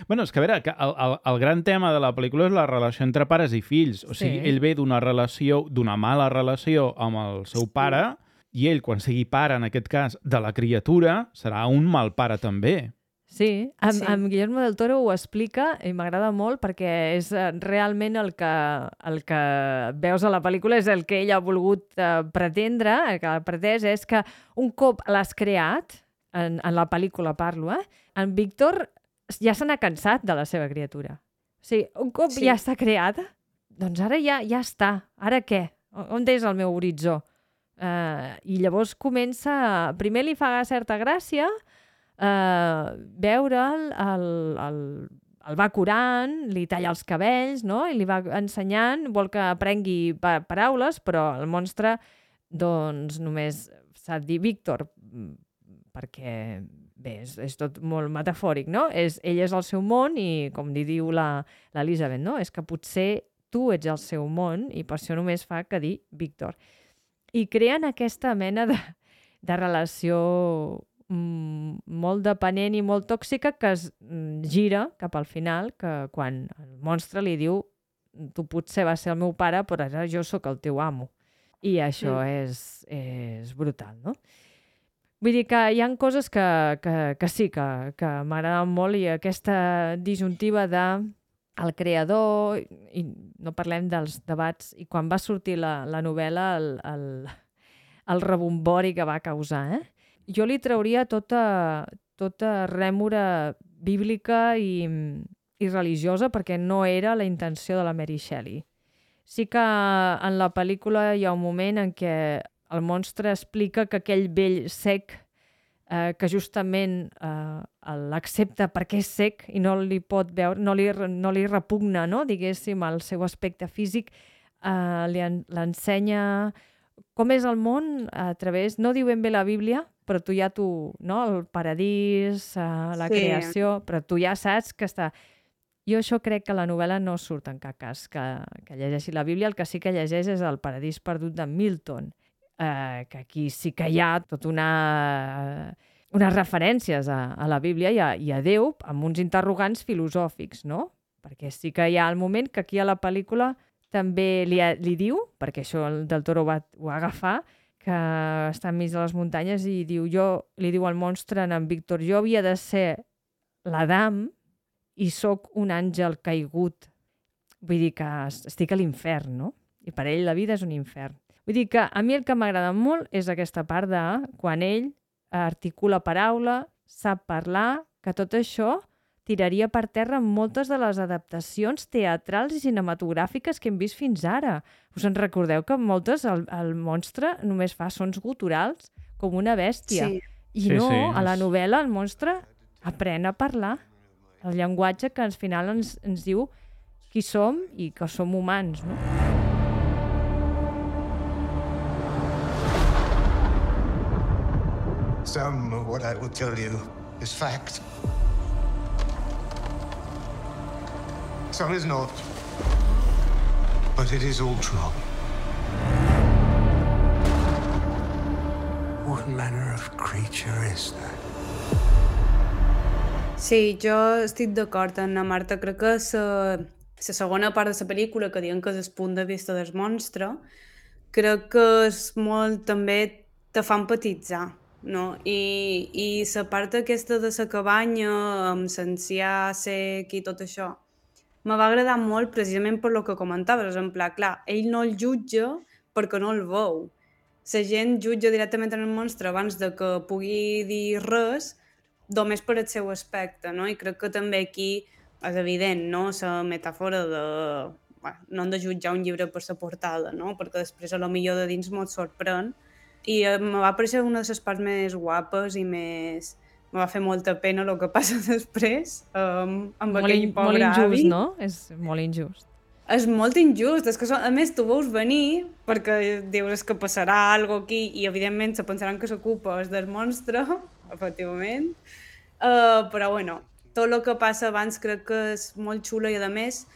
Bueno, és que a veure, el gran tema de la pel·lícula és la relació entre pares i fills. O sigui, ell ve d'una mala relació amb el seu pare i ell, quan sigui pare, en aquest cas, de la criatura, serà un mal pare també. Sí, amb Guillermo del Toro ho explica i m'agrada molt perquè és realment el que veus a la pel·lícula, és el que ell ha volgut pretendre, el que ha pretès és que un cop l'has creat, en la pel·lícula parlo, en Víctor ja se n'ha cansat de la seva criatura. O sigui, un cop ja està creada, doncs ara ja està. Ara què? On és el meu horitzó? I llavors comença... Primer li fa certa gràcia veure'l, el va curant, li talla els cabells, no? I li va ensenyant, vol que aprengui paraules, però el monstre doncs només s'ha de dir Víctor, perquè bé, és tot molt metafòric, no? Ell és el seu món i, com li diu l'Elisabet, no? És que potser tu ets el seu món i per això només fa que dir Víctor. I creen aquesta mena de relació molt dependent i molt tòxica que es gira cap al final, que quan el monstre li diu tu potser vas ser el meu pare, però ara jo sóc el teu amo. I això és brutal, no? Vull dir que hi ha coses que sí, que m'agraden molt, i aquesta disjuntiva el creador, i no parlem dels debats, i quan va sortir la novel·la, el rebombori que va causar, jo li trauria tota rèmora bíblica i religiosa, perquè no era la intenció de la Mary Shelley. Sí que en la pel·lícula hi ha un moment en què el monstre explica que aquell vell sec que justament l'accepta perquè és cec i no li pot veure, no li repugna, no? Diguéssim, el seu aspecte físic, l'ensenya com és el món a través, no diu ben bé la Bíblia, però tu ja no? El paradís, la creació, però tu ja saps que està... Jo això crec que la novel·la no surt en cap cas que llegeixi la Bíblia, el que sí que llegeix és el Paradís perdut de Milton, que aquí sí que hi ha tot unes referències a la Bíblia i a Déu amb uns interrogants filosòfics, no? Perquè sí que hi ha el moment que aquí a la pel·lícula també li diu, perquè això el Del Toro ho va agafar, que està enmig de les muntanyes i li diu al monstre en Víctor, jo havia de ser l'Adam i sóc un àngel caigut. Vull dir que estic a l'infern, no? I per ell la vida és un infern. Vull dir que a mi el que m'agrada molt és aquesta part de quan ell articula paraula, sap parlar, que tot això tiraria per terra moltes de les adaptacions teatrals i cinematogràfiques que hem vist fins ara. Us en recordeu que moltes el monstre només fa sons guturals com una bèstia. Sí. I a la novel·la el monstre aprèn a parlar. El llenguatge que al final ens diu qui som i que som humans, no? Some of what I will tell you is fact. Some is not. But it is all true. What manner of creature is that? Sí, jo estic d'acord amb la Marta. Crec que la segona part de la pel·lícula, que diuen que és el punt de vista del monstre, crec que és molt, també te fa empatitzar, no? I la part aquesta de la cabanya, amb l'ancià sec i tot això, me va agradar molt precisament per lo que comentaves, en pla, clar, ell no el jutja perquè no el veu. La gent jutja directament en el monstre abans de que pugui dir res, només per el seu aspecte, no? I crec que també aquí és evident, no? La metàfora de... Bueno, no hem de jutjar un llibre per la portada, no? Perquè després a lo millor de dins m'ho sorprèn. I me va parecer una de les parts més guapes i més... Me va fer molta pena el que passa després amb aquell pobre avi. Molt injust, no? És molt injust. És molt injust, és que a més tu veus venir perquè dius que passarà alguna cosa aquí i evidentment se pensaran que s'ocupa és del monstre, efectivament, però bueno, tot el que passa abans crec que és molt xulo i a més,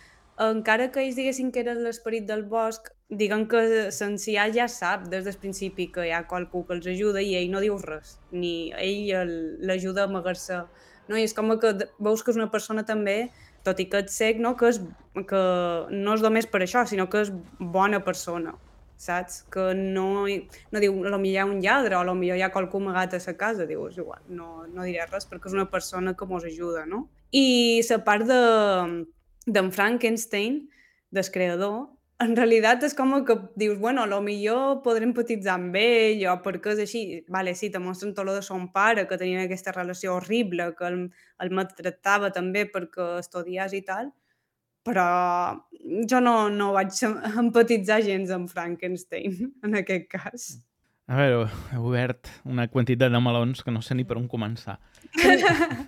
encara que ells diguessin que era l'esperit del bosc, diguen que l'ancià ja sap des del principi que hi ha qualcú que els ajuda i ell no diu res, ni ell l'ajuda a amagar-se, no? I és com que veus que és una persona també, tot i que ets cec, no? Que no és només per això, sinó que és bona persona, saps? Que no diu, potser hi ha un lladre o potser hi ha qualcú amagat a la casa, dius, igual, no diré res perquè és una persona que mos ajuda, no? I la part d'en Frankenstein, del creador, en realitat és com que dius, bueno, potser podré empatitzar amb ell o perquè és així. Vale, sí, te mostren tot de son pare, que tenien aquesta relació horrible, que el maltractava també perquè estudiés i tal, però jo no vaig empatitzar gens amb Frankenstein, en aquest cas. A veure, he obert una quantitat de melons que no sé ni per on començar.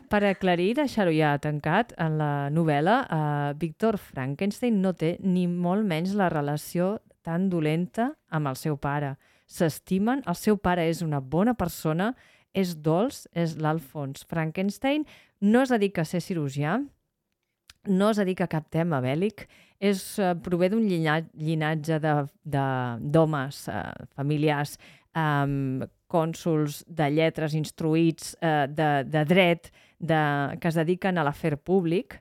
Per aclarir, deixar-ho ja tancat, en la novel·la, Víctor Frankenstein no té ni molt menys la relació tan dolenta amb el seu pare. S'estimen, el seu pare és una bona persona, és dolç, és l'Alfons Frankenstein, no es dedica a ser cirurgià, no es dedica a cap tema bèl·lic, prové d'un llinatge d'homes familiars, cònsols de lletres instruïts, de dret, que es dediquen a l'afer públic,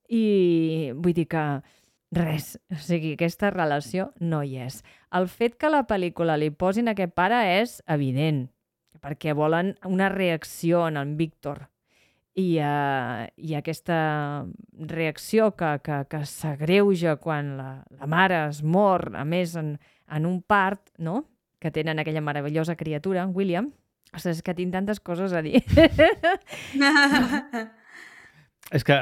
i vull dir que res, o sigui, aquesta relació no hi és. El fet que a la pel·lícula li posin aquest pare és evident, perquè volen una reacció en Víctor, i aquesta reacció que s'agreuja quan la mare es mor, a més en un part, no?, que tenen aquella meravellosa criatura, William. Ostres, és que tinc tantes coses a dir. És que,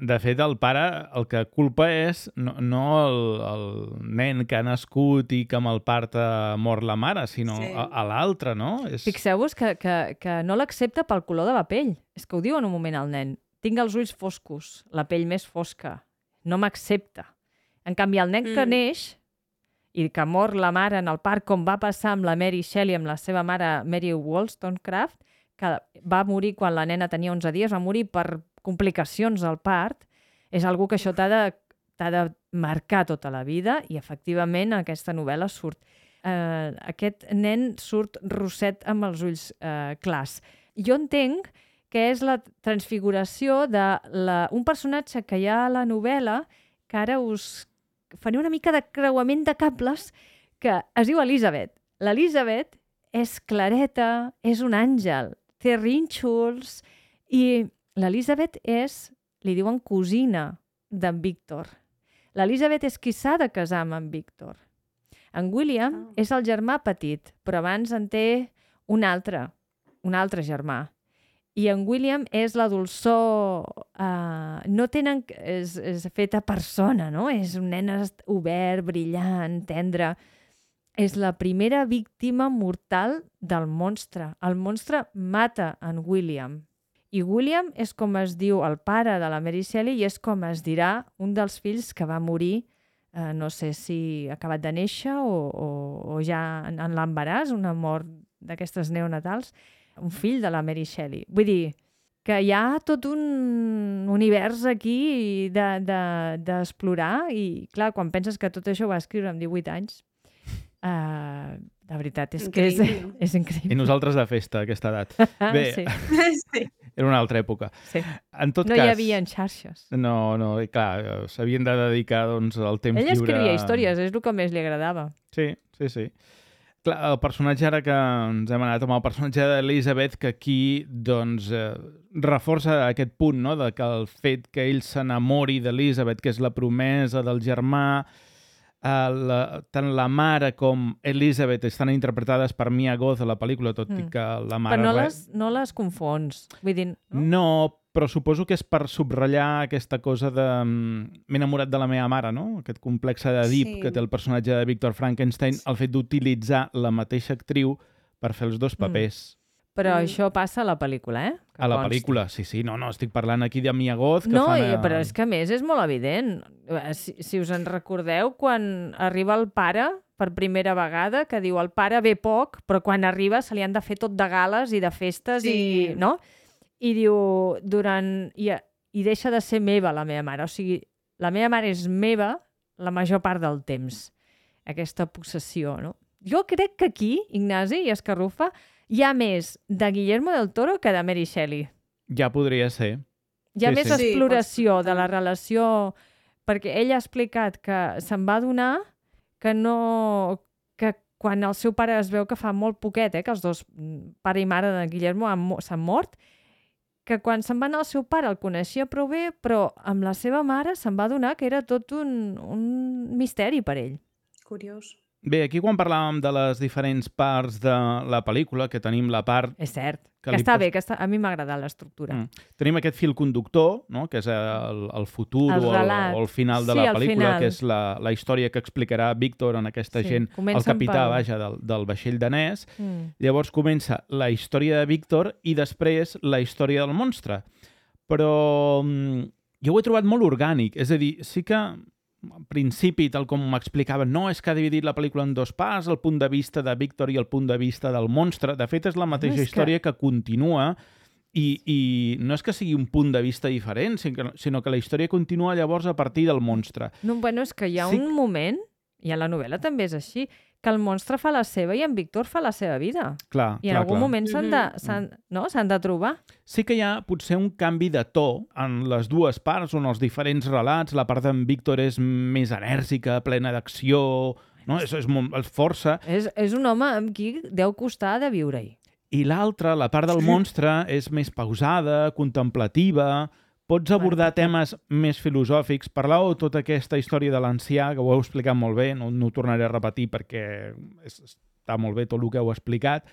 de fet, el pare el que culpa és no el nen que ha nascut i que amb el part mor la mare, sinó Sí. a l'altre, no? Fixeu-vos que no l'accepta pel color de la pell. És que ho diu en un moment al nen. Tinc els ulls foscos, la pell més fosca. No m'accepta. En canvi, el nen que neix i que mor la mare en el part, com va passar amb la Mary Shelley, amb la seva mare Mary Wollstonecraft, que va morir quan la nena tenia 11 dies, va morir per complicacions al part, és algo que això t'ha de marcar tota la vida i, efectivament, en aquesta novel·la surt. Aquest nen surt rosset amb els ulls clars. Jo entenc que és la transfiguració d'un personatge que hi ha a la novel·la, que ara us faré una mica de creuament de cables, que es diu Elizabeth. L'Elizabeth és clareta, és un àngel, té rínxols, i l'Elizabeth és, li diuen, cosina d'en Víctor. L'Elizabeth és qui s'ha de casar amb en Víctor. En William és el germà petit, però abans en té un altre germà. I en William és la dolçor... és feta persona, no? És un nen obert, brillant, tendre. És la primera víctima mortal del monstre. El monstre mata en William. I William és com es diu el pare de la Mary Shelley i és com es dirà un dels fills que va morir, no sé si acabat de néixer o ja en l'embaràs, una mort d'aquestes neonatals, un fill de la Mary Shelley. Vull dir que hi ha tot un univers aquí d'explorar i, clar, quan penses que tot això ho va escriure amb 18 anys, la veritat és que és increïble. I nosaltres de festa, a aquesta edat. Bé, Sí. era una altra època. Sí. En tot No cas, hi havia xarxes. No, i clar, s'havien de dedicar doncs, al temps Ell lliure... escrivia històries, és el que més li agradava. Sí. Clar, el personatge, ara que ens hem anat amb el personatge d'Elizabeth, que aquí doncs, reforça aquest punt, no?, de que el fet que ell s'enamori d'Elizabeth, que és la promesa del germà, tant la mare com Elizabeth estan interpretades per Mia Goth a la pel·lícula, tot i que la mare... Però no les confons. Vull dir, no, però suposo que és per subratllar aquesta cosa de... M'he enamorat de la meva mare, no? Aquest complex d'Edip que té el personatge de Víctor Frankenstein, el fet d'utilitzar la mateixa actriu per fer els dos papers. Però això passa a la pel·lícula, eh? Que a la consti. pel·lícula, sí. No, estic parlant aquí de Mia Goth, que no, fan... però és que a més és molt evident. Si us en recordeu, quan arriba el pare per primera vegada, que diu el pare ve poc, però quan arriba se li han de fer tot de gales i de festes, Sí. no? I diu, i deixa de ser meva la meva mare. O sigui, la meva mare és meva la major part del temps. Aquesta possessió, no? Jo crec que aquí, Ignasi i Escarrufa, hi ha més de Guillermo del Toro que de Mary Shelley. Ja podria ser. Hi ha Sí, més sí. exploració de la relació, perquè ell ha explicat que se'n va adonar que quan el seu pare es veu que fa molt poquet, que els dos, pare i mare de Guillermo, s'han mort, que quan se'n va anar el seu pare el coneixia prou bé, però amb la seva mare se'n va adonar que era tot un misteri per ell. Curiós. Bé, aquí quan parlàvem de les diferents parts de la pel·lícula, que tenim la part... És cert, que que li està pos- bé, a mi m'ha agradat l'estructura. Tenim aquest fil conductor, no?, que és el futur El relat. o el final de Sí, la el pel·lícula, final. que és la història que explicarà Víctor en aquesta Sí, gent, el comencen capità, pel- vaja, del vaixell danès. Llavors comença la història de Víctor i després la història del monstre. Però jo ho he trobat molt orgànic. És a dir, sí que al principi, tal com m'explicaven, no, és que ha dividit la pel·lícula en dos parts, el punt de vista de Víctor i el punt de vista del monstre. De fet, és la mateixa història que continua i no és que sigui un punt de vista diferent, sinó que la història continua llavors a partir del monstre. No, bueno, és que hi ha un moment, i a la novel·la també és així, que el monstre fa la seva i en Víctor fa la seva vida. Clar, I en algun moment s'han de trobar. Sí que hi ha potser un canvi de to en les dues parts, on els diferents relats, la part d'en Víctor és més enèrgica, plena d'acció, no? és força, És un home amb qui deu costar de viure-hi. i l'altra, la part del monstre, és més pausada, contemplativa, pots abordar temes més filosòfics. Parlàveu tota aquesta història de l'ancià, que ho heu explicat molt bé, no ho tornaré a repetir perquè està molt bé tot el que heu explicat.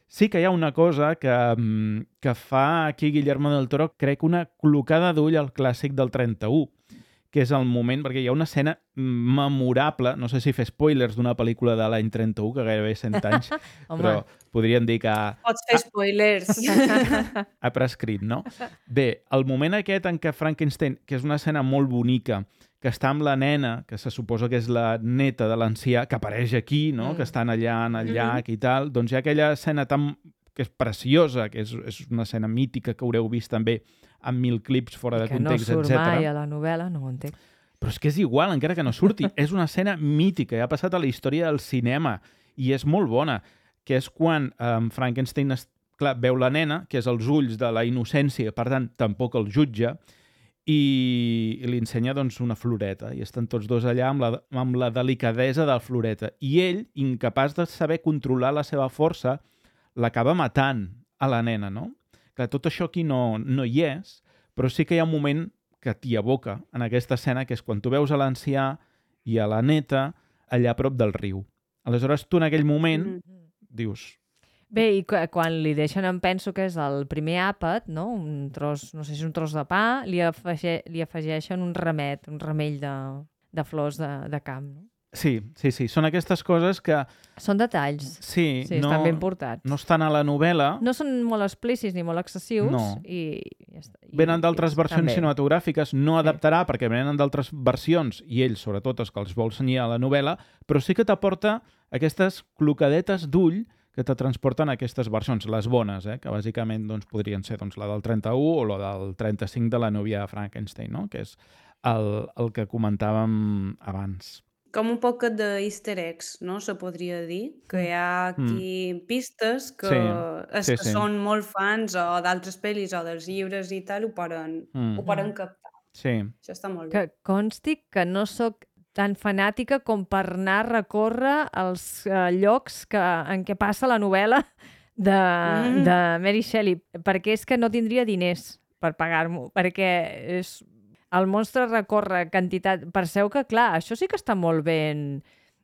Sí que hi ha una cosa que fa aquí Guillermo del Toro, crec, una col·locada d'ull al clàssic del 31, que és el moment, perquè hi ha una escena memorable, no sé si fer spoilers d'una pel·lícula de l'any 31, que gairebé 100 anys, però podríem dir que Pots fer spoilers. ha prescrit, no? Bé, el moment aquest en què Frankenstein, que és una escena molt bonica, que està amb la nena, que se suposa que és la neta de l'ancià, que apareix aquí, no? Que estan allà en el llac i tal, doncs hi ha aquella escena que és preciosa, que és una escena mítica que haureu vist també amb 1000 clips fora de context, etc. Que no surt mai a la novel·la, no ho entenc. Però és que és igual, encara que no surti. És una escena mítica, ja ha passat a la història del cinema i és molt bona, que és quan Frankenstein veu la nena, que és els ulls de la innocència, per tant, tampoc el jutja, i li ensenya doncs, una floreta. I estan tots dos allà amb la delicadesa de la floreta. I ell, incapaç de saber controlar la seva força, l'acaba matant a la nena, no? Clar, tot això aquí no hi és, però sí que hi ha un moment que t'hi aboca en aquesta escena, que és quan tu veus a l'ancià i a la neta allà a prop del riu. Aleshores, tu en aquell moment dius... Bé, i quan li deixen, em penso que és el primer àpat, no? Un tros, no sé si és un tros de pa, li afegeixen un remell de flors de camp, no? Sí. Són aquestes coses que... Són detalls. Sí, estan ben portats. No estan a la novel·la. No són molt explícits ni molt excessius. No. I venen d'altres versions cinematogràfiques, no adaptarà perquè venen d'altres versions, i ell, sobretot, els que els vol ensenyar a la novel·la, però sí que t'aporta aquestes clocadetes d'ull que te transporten a aquestes versions, les bones, que bàsicament doncs, podrien ser la del 31 o la del 35 de la núvia de Frankenstein, no? Que és el que comentàvem abans. Com un poc d'easter eggs, no? Se podria dir, que hi ha aquí pistes que que són molt fans o d'altres pel·lis o dels llibres i tal, ho poden captar. Sí. Això està molt bé. Que consti que no sóc tan fanàtica com per anar a recórrer als llocs en què passa la novel·la de Mary Shelley, perquè és que no tindria diners per pagar-m'ho, perquè el monstre recorre quantitat... Penseu que, clar, això sí que està molt ben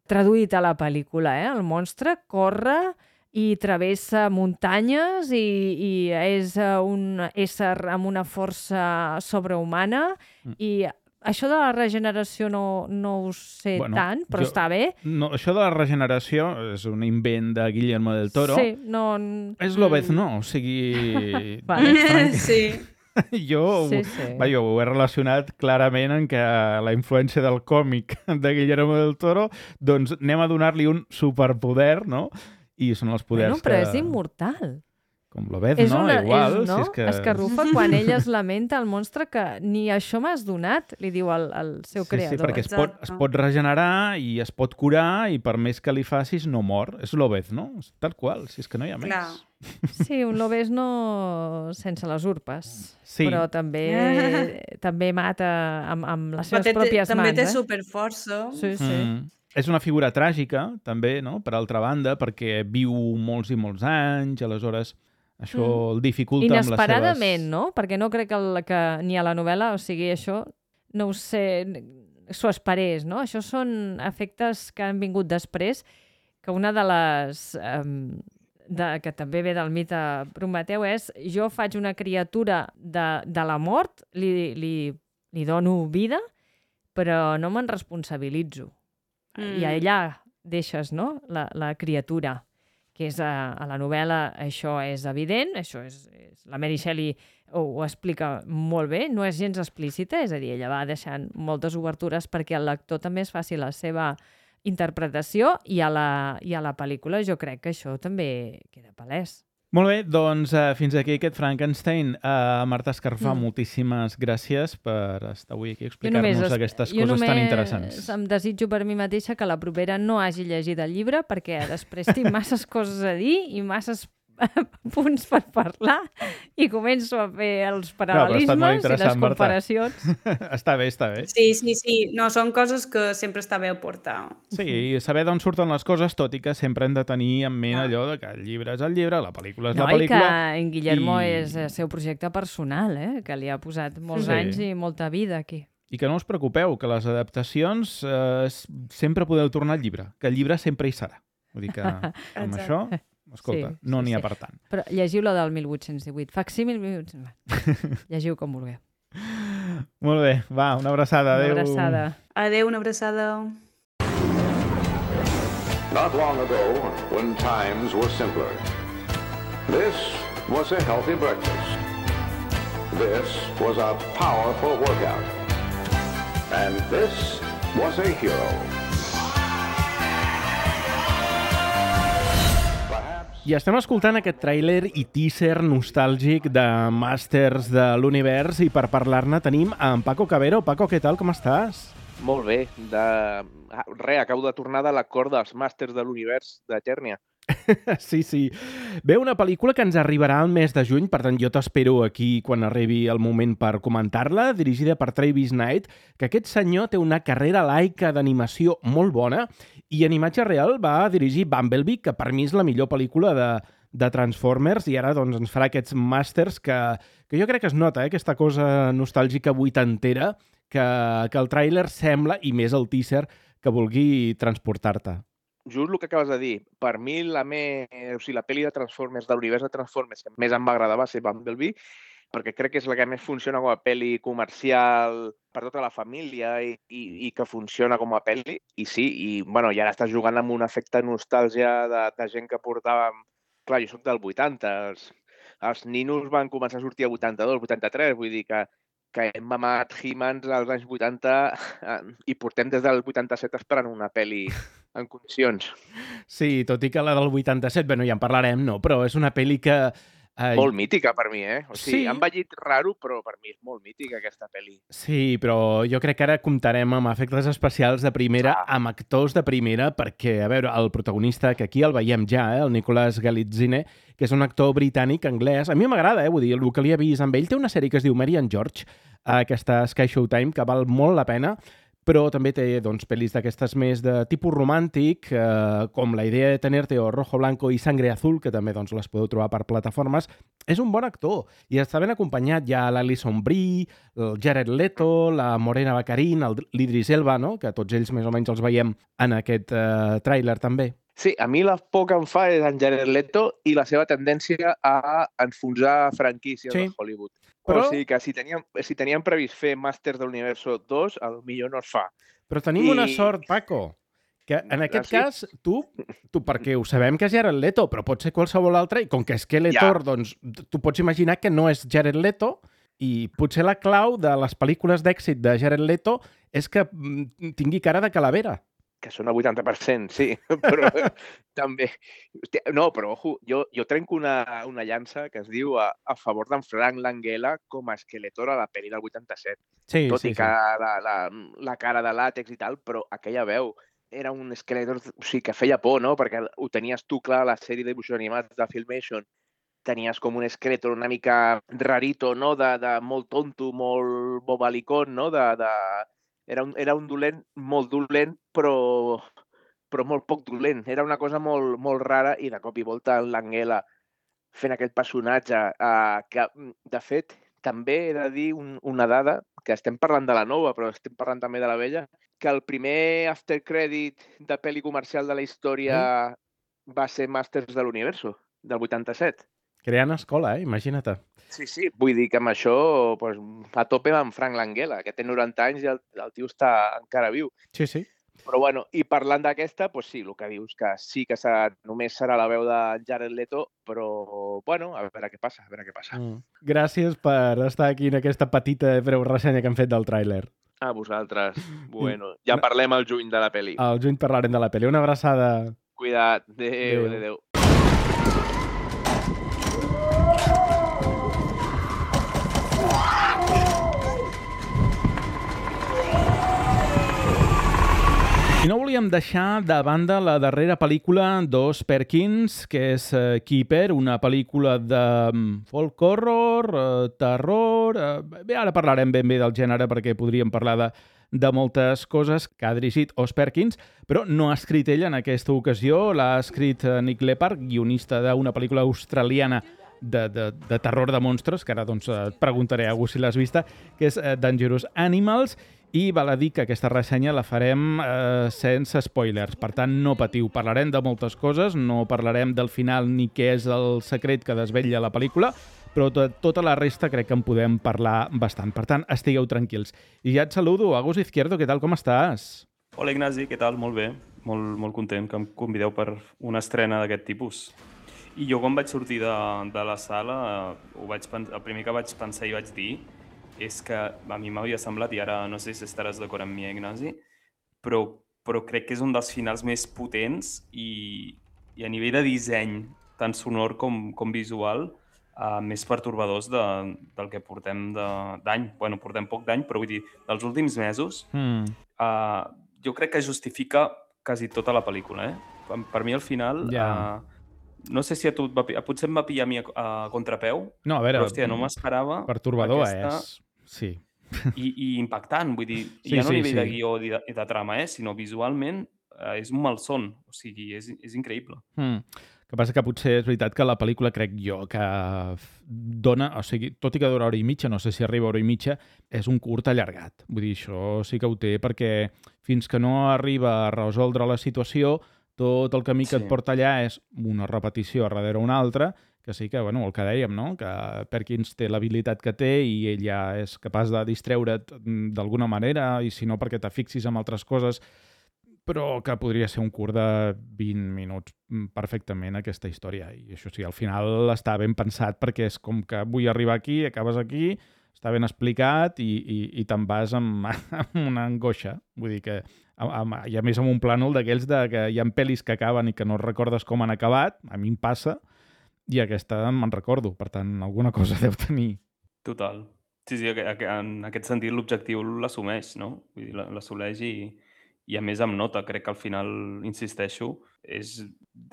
traduït a la pel·lícula, El monstre corre i travessa muntanyes i és un ésser amb una força sobrehumana i... Això de la regeneració no ho sé tant, però està bé. No, això de la regeneració és un invent de Guillermo del Toro. Sí, no... És l'Obezno, o sigui... Sí. Jo ho he relacionat clarament en que la influència del còmic de Guillermo del Toro, doncs anem a donar-li un superpoder, no? I són els poders però és immortal. Com l'Obezno, igual. No? Si és que... Escarrufa quan ell es lamenta al monstre que ni això m'has donat, li diu al seu creador. Sí, perquè es pot regenerar i es pot curar i per més que li facis no mor. És l'Obezno, tal qual, si és que no hi ha més. Clar. Sí, un Lobezno sense les urpes, però també mata amb les seves pròpies mans. També té superforça. Sí. És una figura tràgica, també, no? Per altra banda, perquè viu molts i molts anys, aleshores això el dificulta amb les seves... Inesperadament, no? Perquè no crec que ni a la novel·la, o sigui, això, no ho sé, s'ho esperés, no? Això són efectes que han vingut després, que una de les... que també ve del mite Prometeu és jo faig una criatura de la mort, li dono vida, però no me'n responsabilitzo. I allà deixes, no?, la criatura, que és a la novel·la això és evident, això és la Mary Shelley ho explica molt bé, no és gens explícita, és a dir, ella va deixant moltes obertures perquè el lector també es faci la seva interpretació i a la pel·lícula jo crec que això també queda palès. Molt bé, doncs fins aquí aquest Frankenstein. Marta Escarfà, moltíssimes gràcies per estar avui aquí a explicar-nos aquestes coses tan interessants. Jo només em desitjo per mi mateixa que la propera no hagi llegit el llibre perquè després tinc masses coses a dir i masses punts per parlar i començo a fer els paral·lelismes i les comparacions. Està bé, està bé. Sí. No, són coses que sempre està bé aportar. Sí, i saber d'on surten les coses, tot i que sempre hem de tenir en ment allò de que el llibre és el llibre, la pel·lícula és la pel·lícula. No, i que en Guillermo és el seu projecte personal, que li ha posat molts anys i molta vida aquí. I que no us preocupeu, que les adaptacions sempre podeu tornar al llibre, que el llibre sempre hi serà. Vull dir que amb això escolta, no n'hi ha per tant. Però llegiu la del 1818. Facsímil 1818. Llegiu com vulgueu. Molt bé, va, una abraçada. Adéu. Una abraçada. Adéu, una abraçada. Not long ago, when times were simpler, this was a healthy breakfast. This was a powerful workout. And this was a hero. I estem escoltant aquest tràiler i teaser nostàlgic de Masters de l'Univers i per parlar-ne tenim en Paco Cabero. Paco, què tal? Com estàs? Molt bé. Acabo de tornar de l'acord dels Màsters de l'Univers de Eternia. Sí. Bé, una pel·lícula que ens arribarà al mes de juny, per tant jo t'espero aquí quan arribi el moment per comentar-la, dirigida per Travis Knight, que aquest senyor té una carrera laica d'animació molt bona i en imatge real va dirigir Bumblebee, que per mi és la millor pel·lícula de Transformers, i ara doncs, ens farà aquests Masters que jo crec que es nota, aquesta cosa nostàlgica vuitantera que el tràiler sembla, i més el teaser, que vulgui transportar-te. Just el que acabes de dir. Per mi, la pel·li de Transformers, de l'univers de Transformers, que més em va agradar va ser Bumblebee, perquè crec que és la que més funciona com a pel·li comercial per tota la família i que funciona com a pel·li. I sí, i ara estàs jugant amb un efecte nostàlgia de gent que portàvem... Clar, jo soc del 80, els ninos van començar a sortir a 82, 83, vull dir que hem mamat He-Mans als anys 80 i portem des del 87 esperant una pel·li en condicions. Sí, tot i que la del 87, ja en parlarem, no, però és una pel·li que... Molt mítica per mi, O sigui, Sí. han envellit raro, però per mi és molt mítica aquesta pel·li. Sí, però jo crec que ara comptarem amb efectes especials de primera, amb actors de primera, perquè, a veure, el protagonista, que aquí el veiem ja, el Nicolas Galitzine, que és un actor britànic-anglès, a mi m'agrada, vull dir, el que li he vist amb ell, té una sèrie que es diu Mary and George, que està a Sky Showtime, que val molt la pena, però també té doncs, pel·lis d'aquestes més de tipus romàntic, com La idea de tenerte o Rojo Blanco i Sangre Azul, que també doncs, les podeu trobar per plataformes. És un bon actor i està ben acompanyat ja l'Alison Brie, el Jared Leto, la Morena Baccarin, l'Idris Elba, no? Que tots ells més o menys els veiem en aquest tràiler també. Sí, a mi la por que em fa és en Jared Leto i la seva tendència a enfonsar franquícies de Hollywood. Però... O sigui que si teníem previst fer Masters de l'Universo 2, potser no es fa. Però tenim una sort, Paco, que en aquest cas, tu perquè ho sabem que és Jared Leto, però pot ser qualsevol altre, i com que és Skeletor, doncs tu pots imaginar que no és Jared Leto, i potser la clau de les pel·lícules d'èxit de Jared Leto és que tingui cara de calavera. Que són el 80%, sí, però també... No, però, ojo, jo trenco una llança que es diu a favor d'en Frank Langella com a Skeletor a la pel·li del 87. Sí, Tot i que la cara de làtex i tal, però aquella veu era un Skeletor, o sigui, que feia por, no? Perquè ho tenies tu clar a la sèrie de dibuixos animats de Filmation. Tenies com un Skeletor una mica rarito, no? De molt tonto, molt bobalicón, no? Era un dolent molt dolent, però molt poc dolent. Era una cosa molt, molt rara i de cop i volta l'Angela fent aquest personatge que, de fet, també he de dir una dada, que estem parlant de la nova, però estem parlant també de la vella, que el primer after credit de pel·li comercial de la història va ser Masters de l'Universo, del 87. Creant escola, imagina't. Sí, vull dir que amb això pues, a tope amb Frank Langella, que té 90 anys i el tio està encara viu. Sí. Però bueno, i parlant d'aquesta, pues sí, el que dius, que sí que només serà la veu de Jared Leto, però bueno, a veure què passa, Gràcies per estar aquí en aquesta petita breu ressenya que hem fet del tràiler. A vosaltres. Bueno, ja parlem al juny de la pel·li. Al juny parlarem de la pel·li. Una abraçada. Cuida't. Adéu. I no volíem deixar de banda la darrera pel·lícula d'Oz Perkins, que és Keeper, una pel·lícula de folk horror, terror... Bé, ara parlarem ben bé del gènere perquè podríem parlar de moltes coses que ha dirigit Oz Perkins, però no ha escrit ell en aquesta ocasió, l'ha escrit Nick Leppard, guionista d'una pel·lícula australiana de terror de monstres, que ara doncs, et preguntaré a algú si l'has vista, que és Dangerous Animals, i val a dir que aquesta ressenya la farem sense spoilers. Per tant, no patiu. Parlarem de moltes coses, no parlarem del final ni què és el secret que desvetlla la pel·lícula, però tota la resta crec que en podem parlar bastant. Per tant, estigueu tranquils. I ja et saludo. Agus Izquierdo, què tal, com estàs? Hola Ignasi, què tal? Molt bé. Molt content que em convideu per una estrena d'aquest tipus. I jo quan vaig sortir de la sala, el primer que vaig pensar i vaig dir és que a mi m'havia semblat, i ara no sé si estaràs d'acord amb mi, Ignasi, però crec que és un dels finals més potents i a nivell de disseny, tant sonor com visual, més pertorbadors del que portem d'any. Bueno, portem poc d'any, però vull dir, dels últims mesos, jo crec que justifica quasi tota la pel·lícula. Per mi, al final, no sé si a tu potser em va pillar a mi a contrapeu, no, a veure, però, hòstia, no m'esperava. Pertorbador és, sí. I impactant, vull dir, ja no a nivell de guió i de trama, sinó visualment és un malson, o sigui, és increïble. El que passa que potser és veritat que la pel·lícula, crec jo, que dona, o sigui, tot i que dura hora i mitja, no sé si arriba a hora i mitja, és un curt allargat. Vull dir, això sí que ho té, perquè fins que no arriba a resoldre la situació, tot el camí que et porta allà és una repetició darrere una altra, que sí que, bueno, el que dèiem, no? Que Perkins té l'habilitat que té i ell ja és capaç de distreure't d'alguna manera, i si no perquè te fixis en altres coses, però que podria ser un curt de 20 minuts perfectament aquesta història. I això sí, al final està ben pensat perquè és com que vull arribar aquí, acabes aquí, està ben explicat i te'n vas amb una angoixa. Vull dir que, i a més amb un plànol d'aquells que hi ha pel·lis que acaben i que no recordes com han acabat, a mi em passa, i aquesta me'n recordo. Per tant, alguna cosa deu tenir. Total. Sí, en aquest sentit l'objectiu l'assumeix, no? Vull dir, l'assoleix i a més em nota, crec que al final, insisteixo, és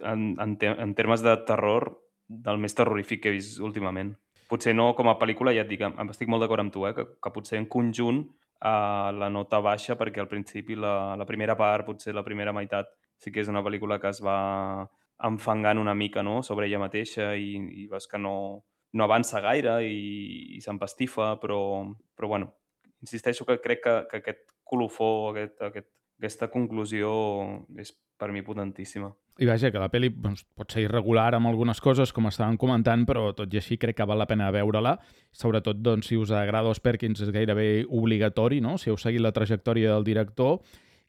en termes de terror del més terrorífic que he vist últimament. Potser no com a pel·lícula, ja et dic, estic molt d'acord amb tu, que potser en conjunt la nota baixa, perquè al principi la primera part, potser la primera meitat, sí que és una pel·lícula que es va enfangant una mica, no?, sobre ella mateixa i veus que no avança gaire i s'empastifa, però bueno, insisteixo que crec que aquest colofó, aquesta conclusió és per mi potentíssima. I vaja, que la pel·li pot ser irregular amb algunes coses, com estàvem comentant, però tot i així crec que val la pena veure-la. Sobretot, doncs, si us agrada Os Perkins és gairebé obligatori, no?, si heu seguit la trajectòria del director.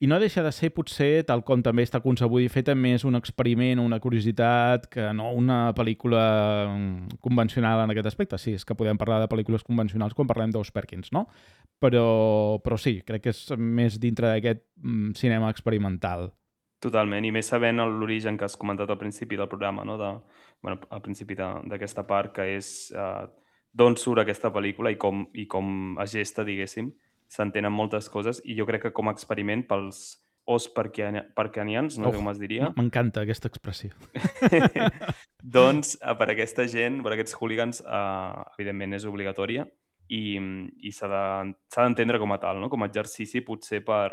I no deixa de ser, potser, tal com també està concebut i feta, més un experiment, una curiositat, que no una pel·lícula convencional en aquest aspecte. Sí, és que podem parlar de pel·lícules convencionals quan parlem d'Os Perkins, no? Però sí, crec que és més dintre d'aquest cinema experimental. Totalment, i més sabent l'origen que has comentat al principi del programa, no? Al principi d'aquesta part, que és d'on surt aquesta pel·lícula i com es gesta, diguéssim. S'entenen moltes coses i jo crec que com a experiment pels os perkinians, no sé com es diria. M'encanta aquesta expressió. Doncs per aquesta gent, per aquests hooligans, evidentment és obligatòria i s'ha d'entendre com a tal, no? Com a exercici potser per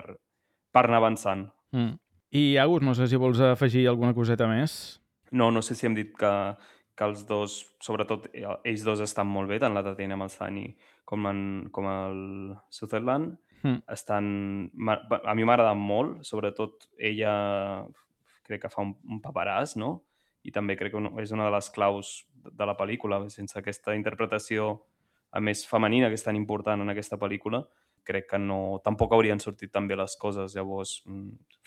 anar avançant. I Agus, no sé si vols afegir alguna coseta més? No sé si hem dit que els dos, sobretot ells dos, estan molt bé, tant la Tatiana Maslany com el Sutherland. A mi m'ha agradat molt, sobretot ella crec que fa un paperàs, no? I també crec que és una de les claus de la pel·lícula. Sense aquesta interpretació, a més femenina, que és tan important en aquesta pel·lícula, crec que tampoc haurien sortit tan bé les coses. Llavors,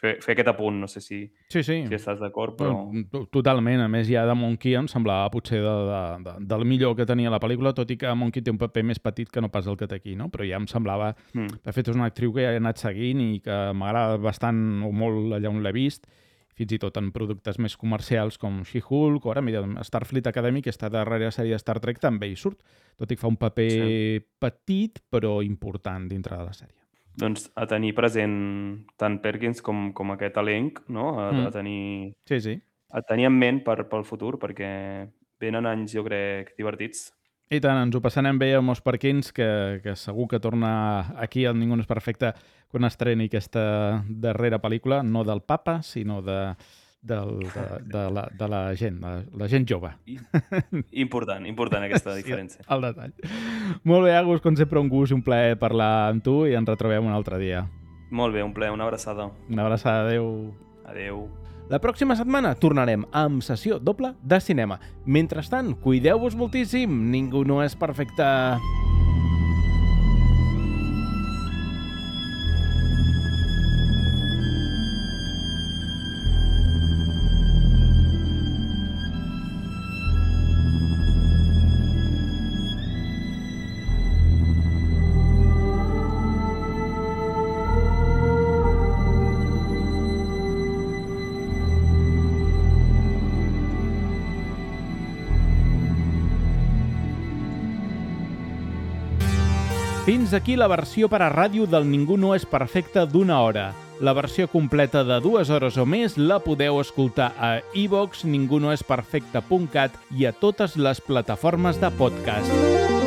fer aquest apunt, no sé si estàs d'acord, però... Totalment. A més, ja de Monkey em semblava potser del millor que tenia la pel·lícula, tot i que Monkey té un paper més petit que no pas el que té aquí, no? Però ja em semblava... De fet, és una actriu que ja he anat seguint i que m'agrada bastant o molt allà on l'he vist, fins i tot en productes més comercials com She-Hulk, o ara, mira, Starfleet Academy, que està darrere la sèrie de Star Trek, també hi surt, tot i que fa un paper petit, però important dintre de la sèrie. Doncs a tenir present tant Perkins com aquest elenc, no? A tenir en ment pel futur, perquè venen anys, jo crec, divertits. I tant, ens ho passarem bé amb Os Perkins, que segur que torna aquí al Ningú no és perfecte quan estreni aquesta darrera pel·lícula, no del Papa, sinó de de la gent jove. Important aquesta diferència. Sí, el detall. Molt bé, Agus, com sempre un gust i un plaer parlar amb tu i ens retrobem un altre dia. Molt bé, un plaer, una abraçada. Una abraçada, adeu. Adeu. La pròxima setmana tornarem amb sessió doble de cinema. Mentrestant, cuideu-vos moltíssim, ningú no és perfecte. Fins aquí la versió per a ràdio del Ningú no és perfecte d'1 hora. La versió completa de 2 hores o més la podeu escoltar a iVoox, ningunoesperfecte.cat i a totes les plataformes de podcast.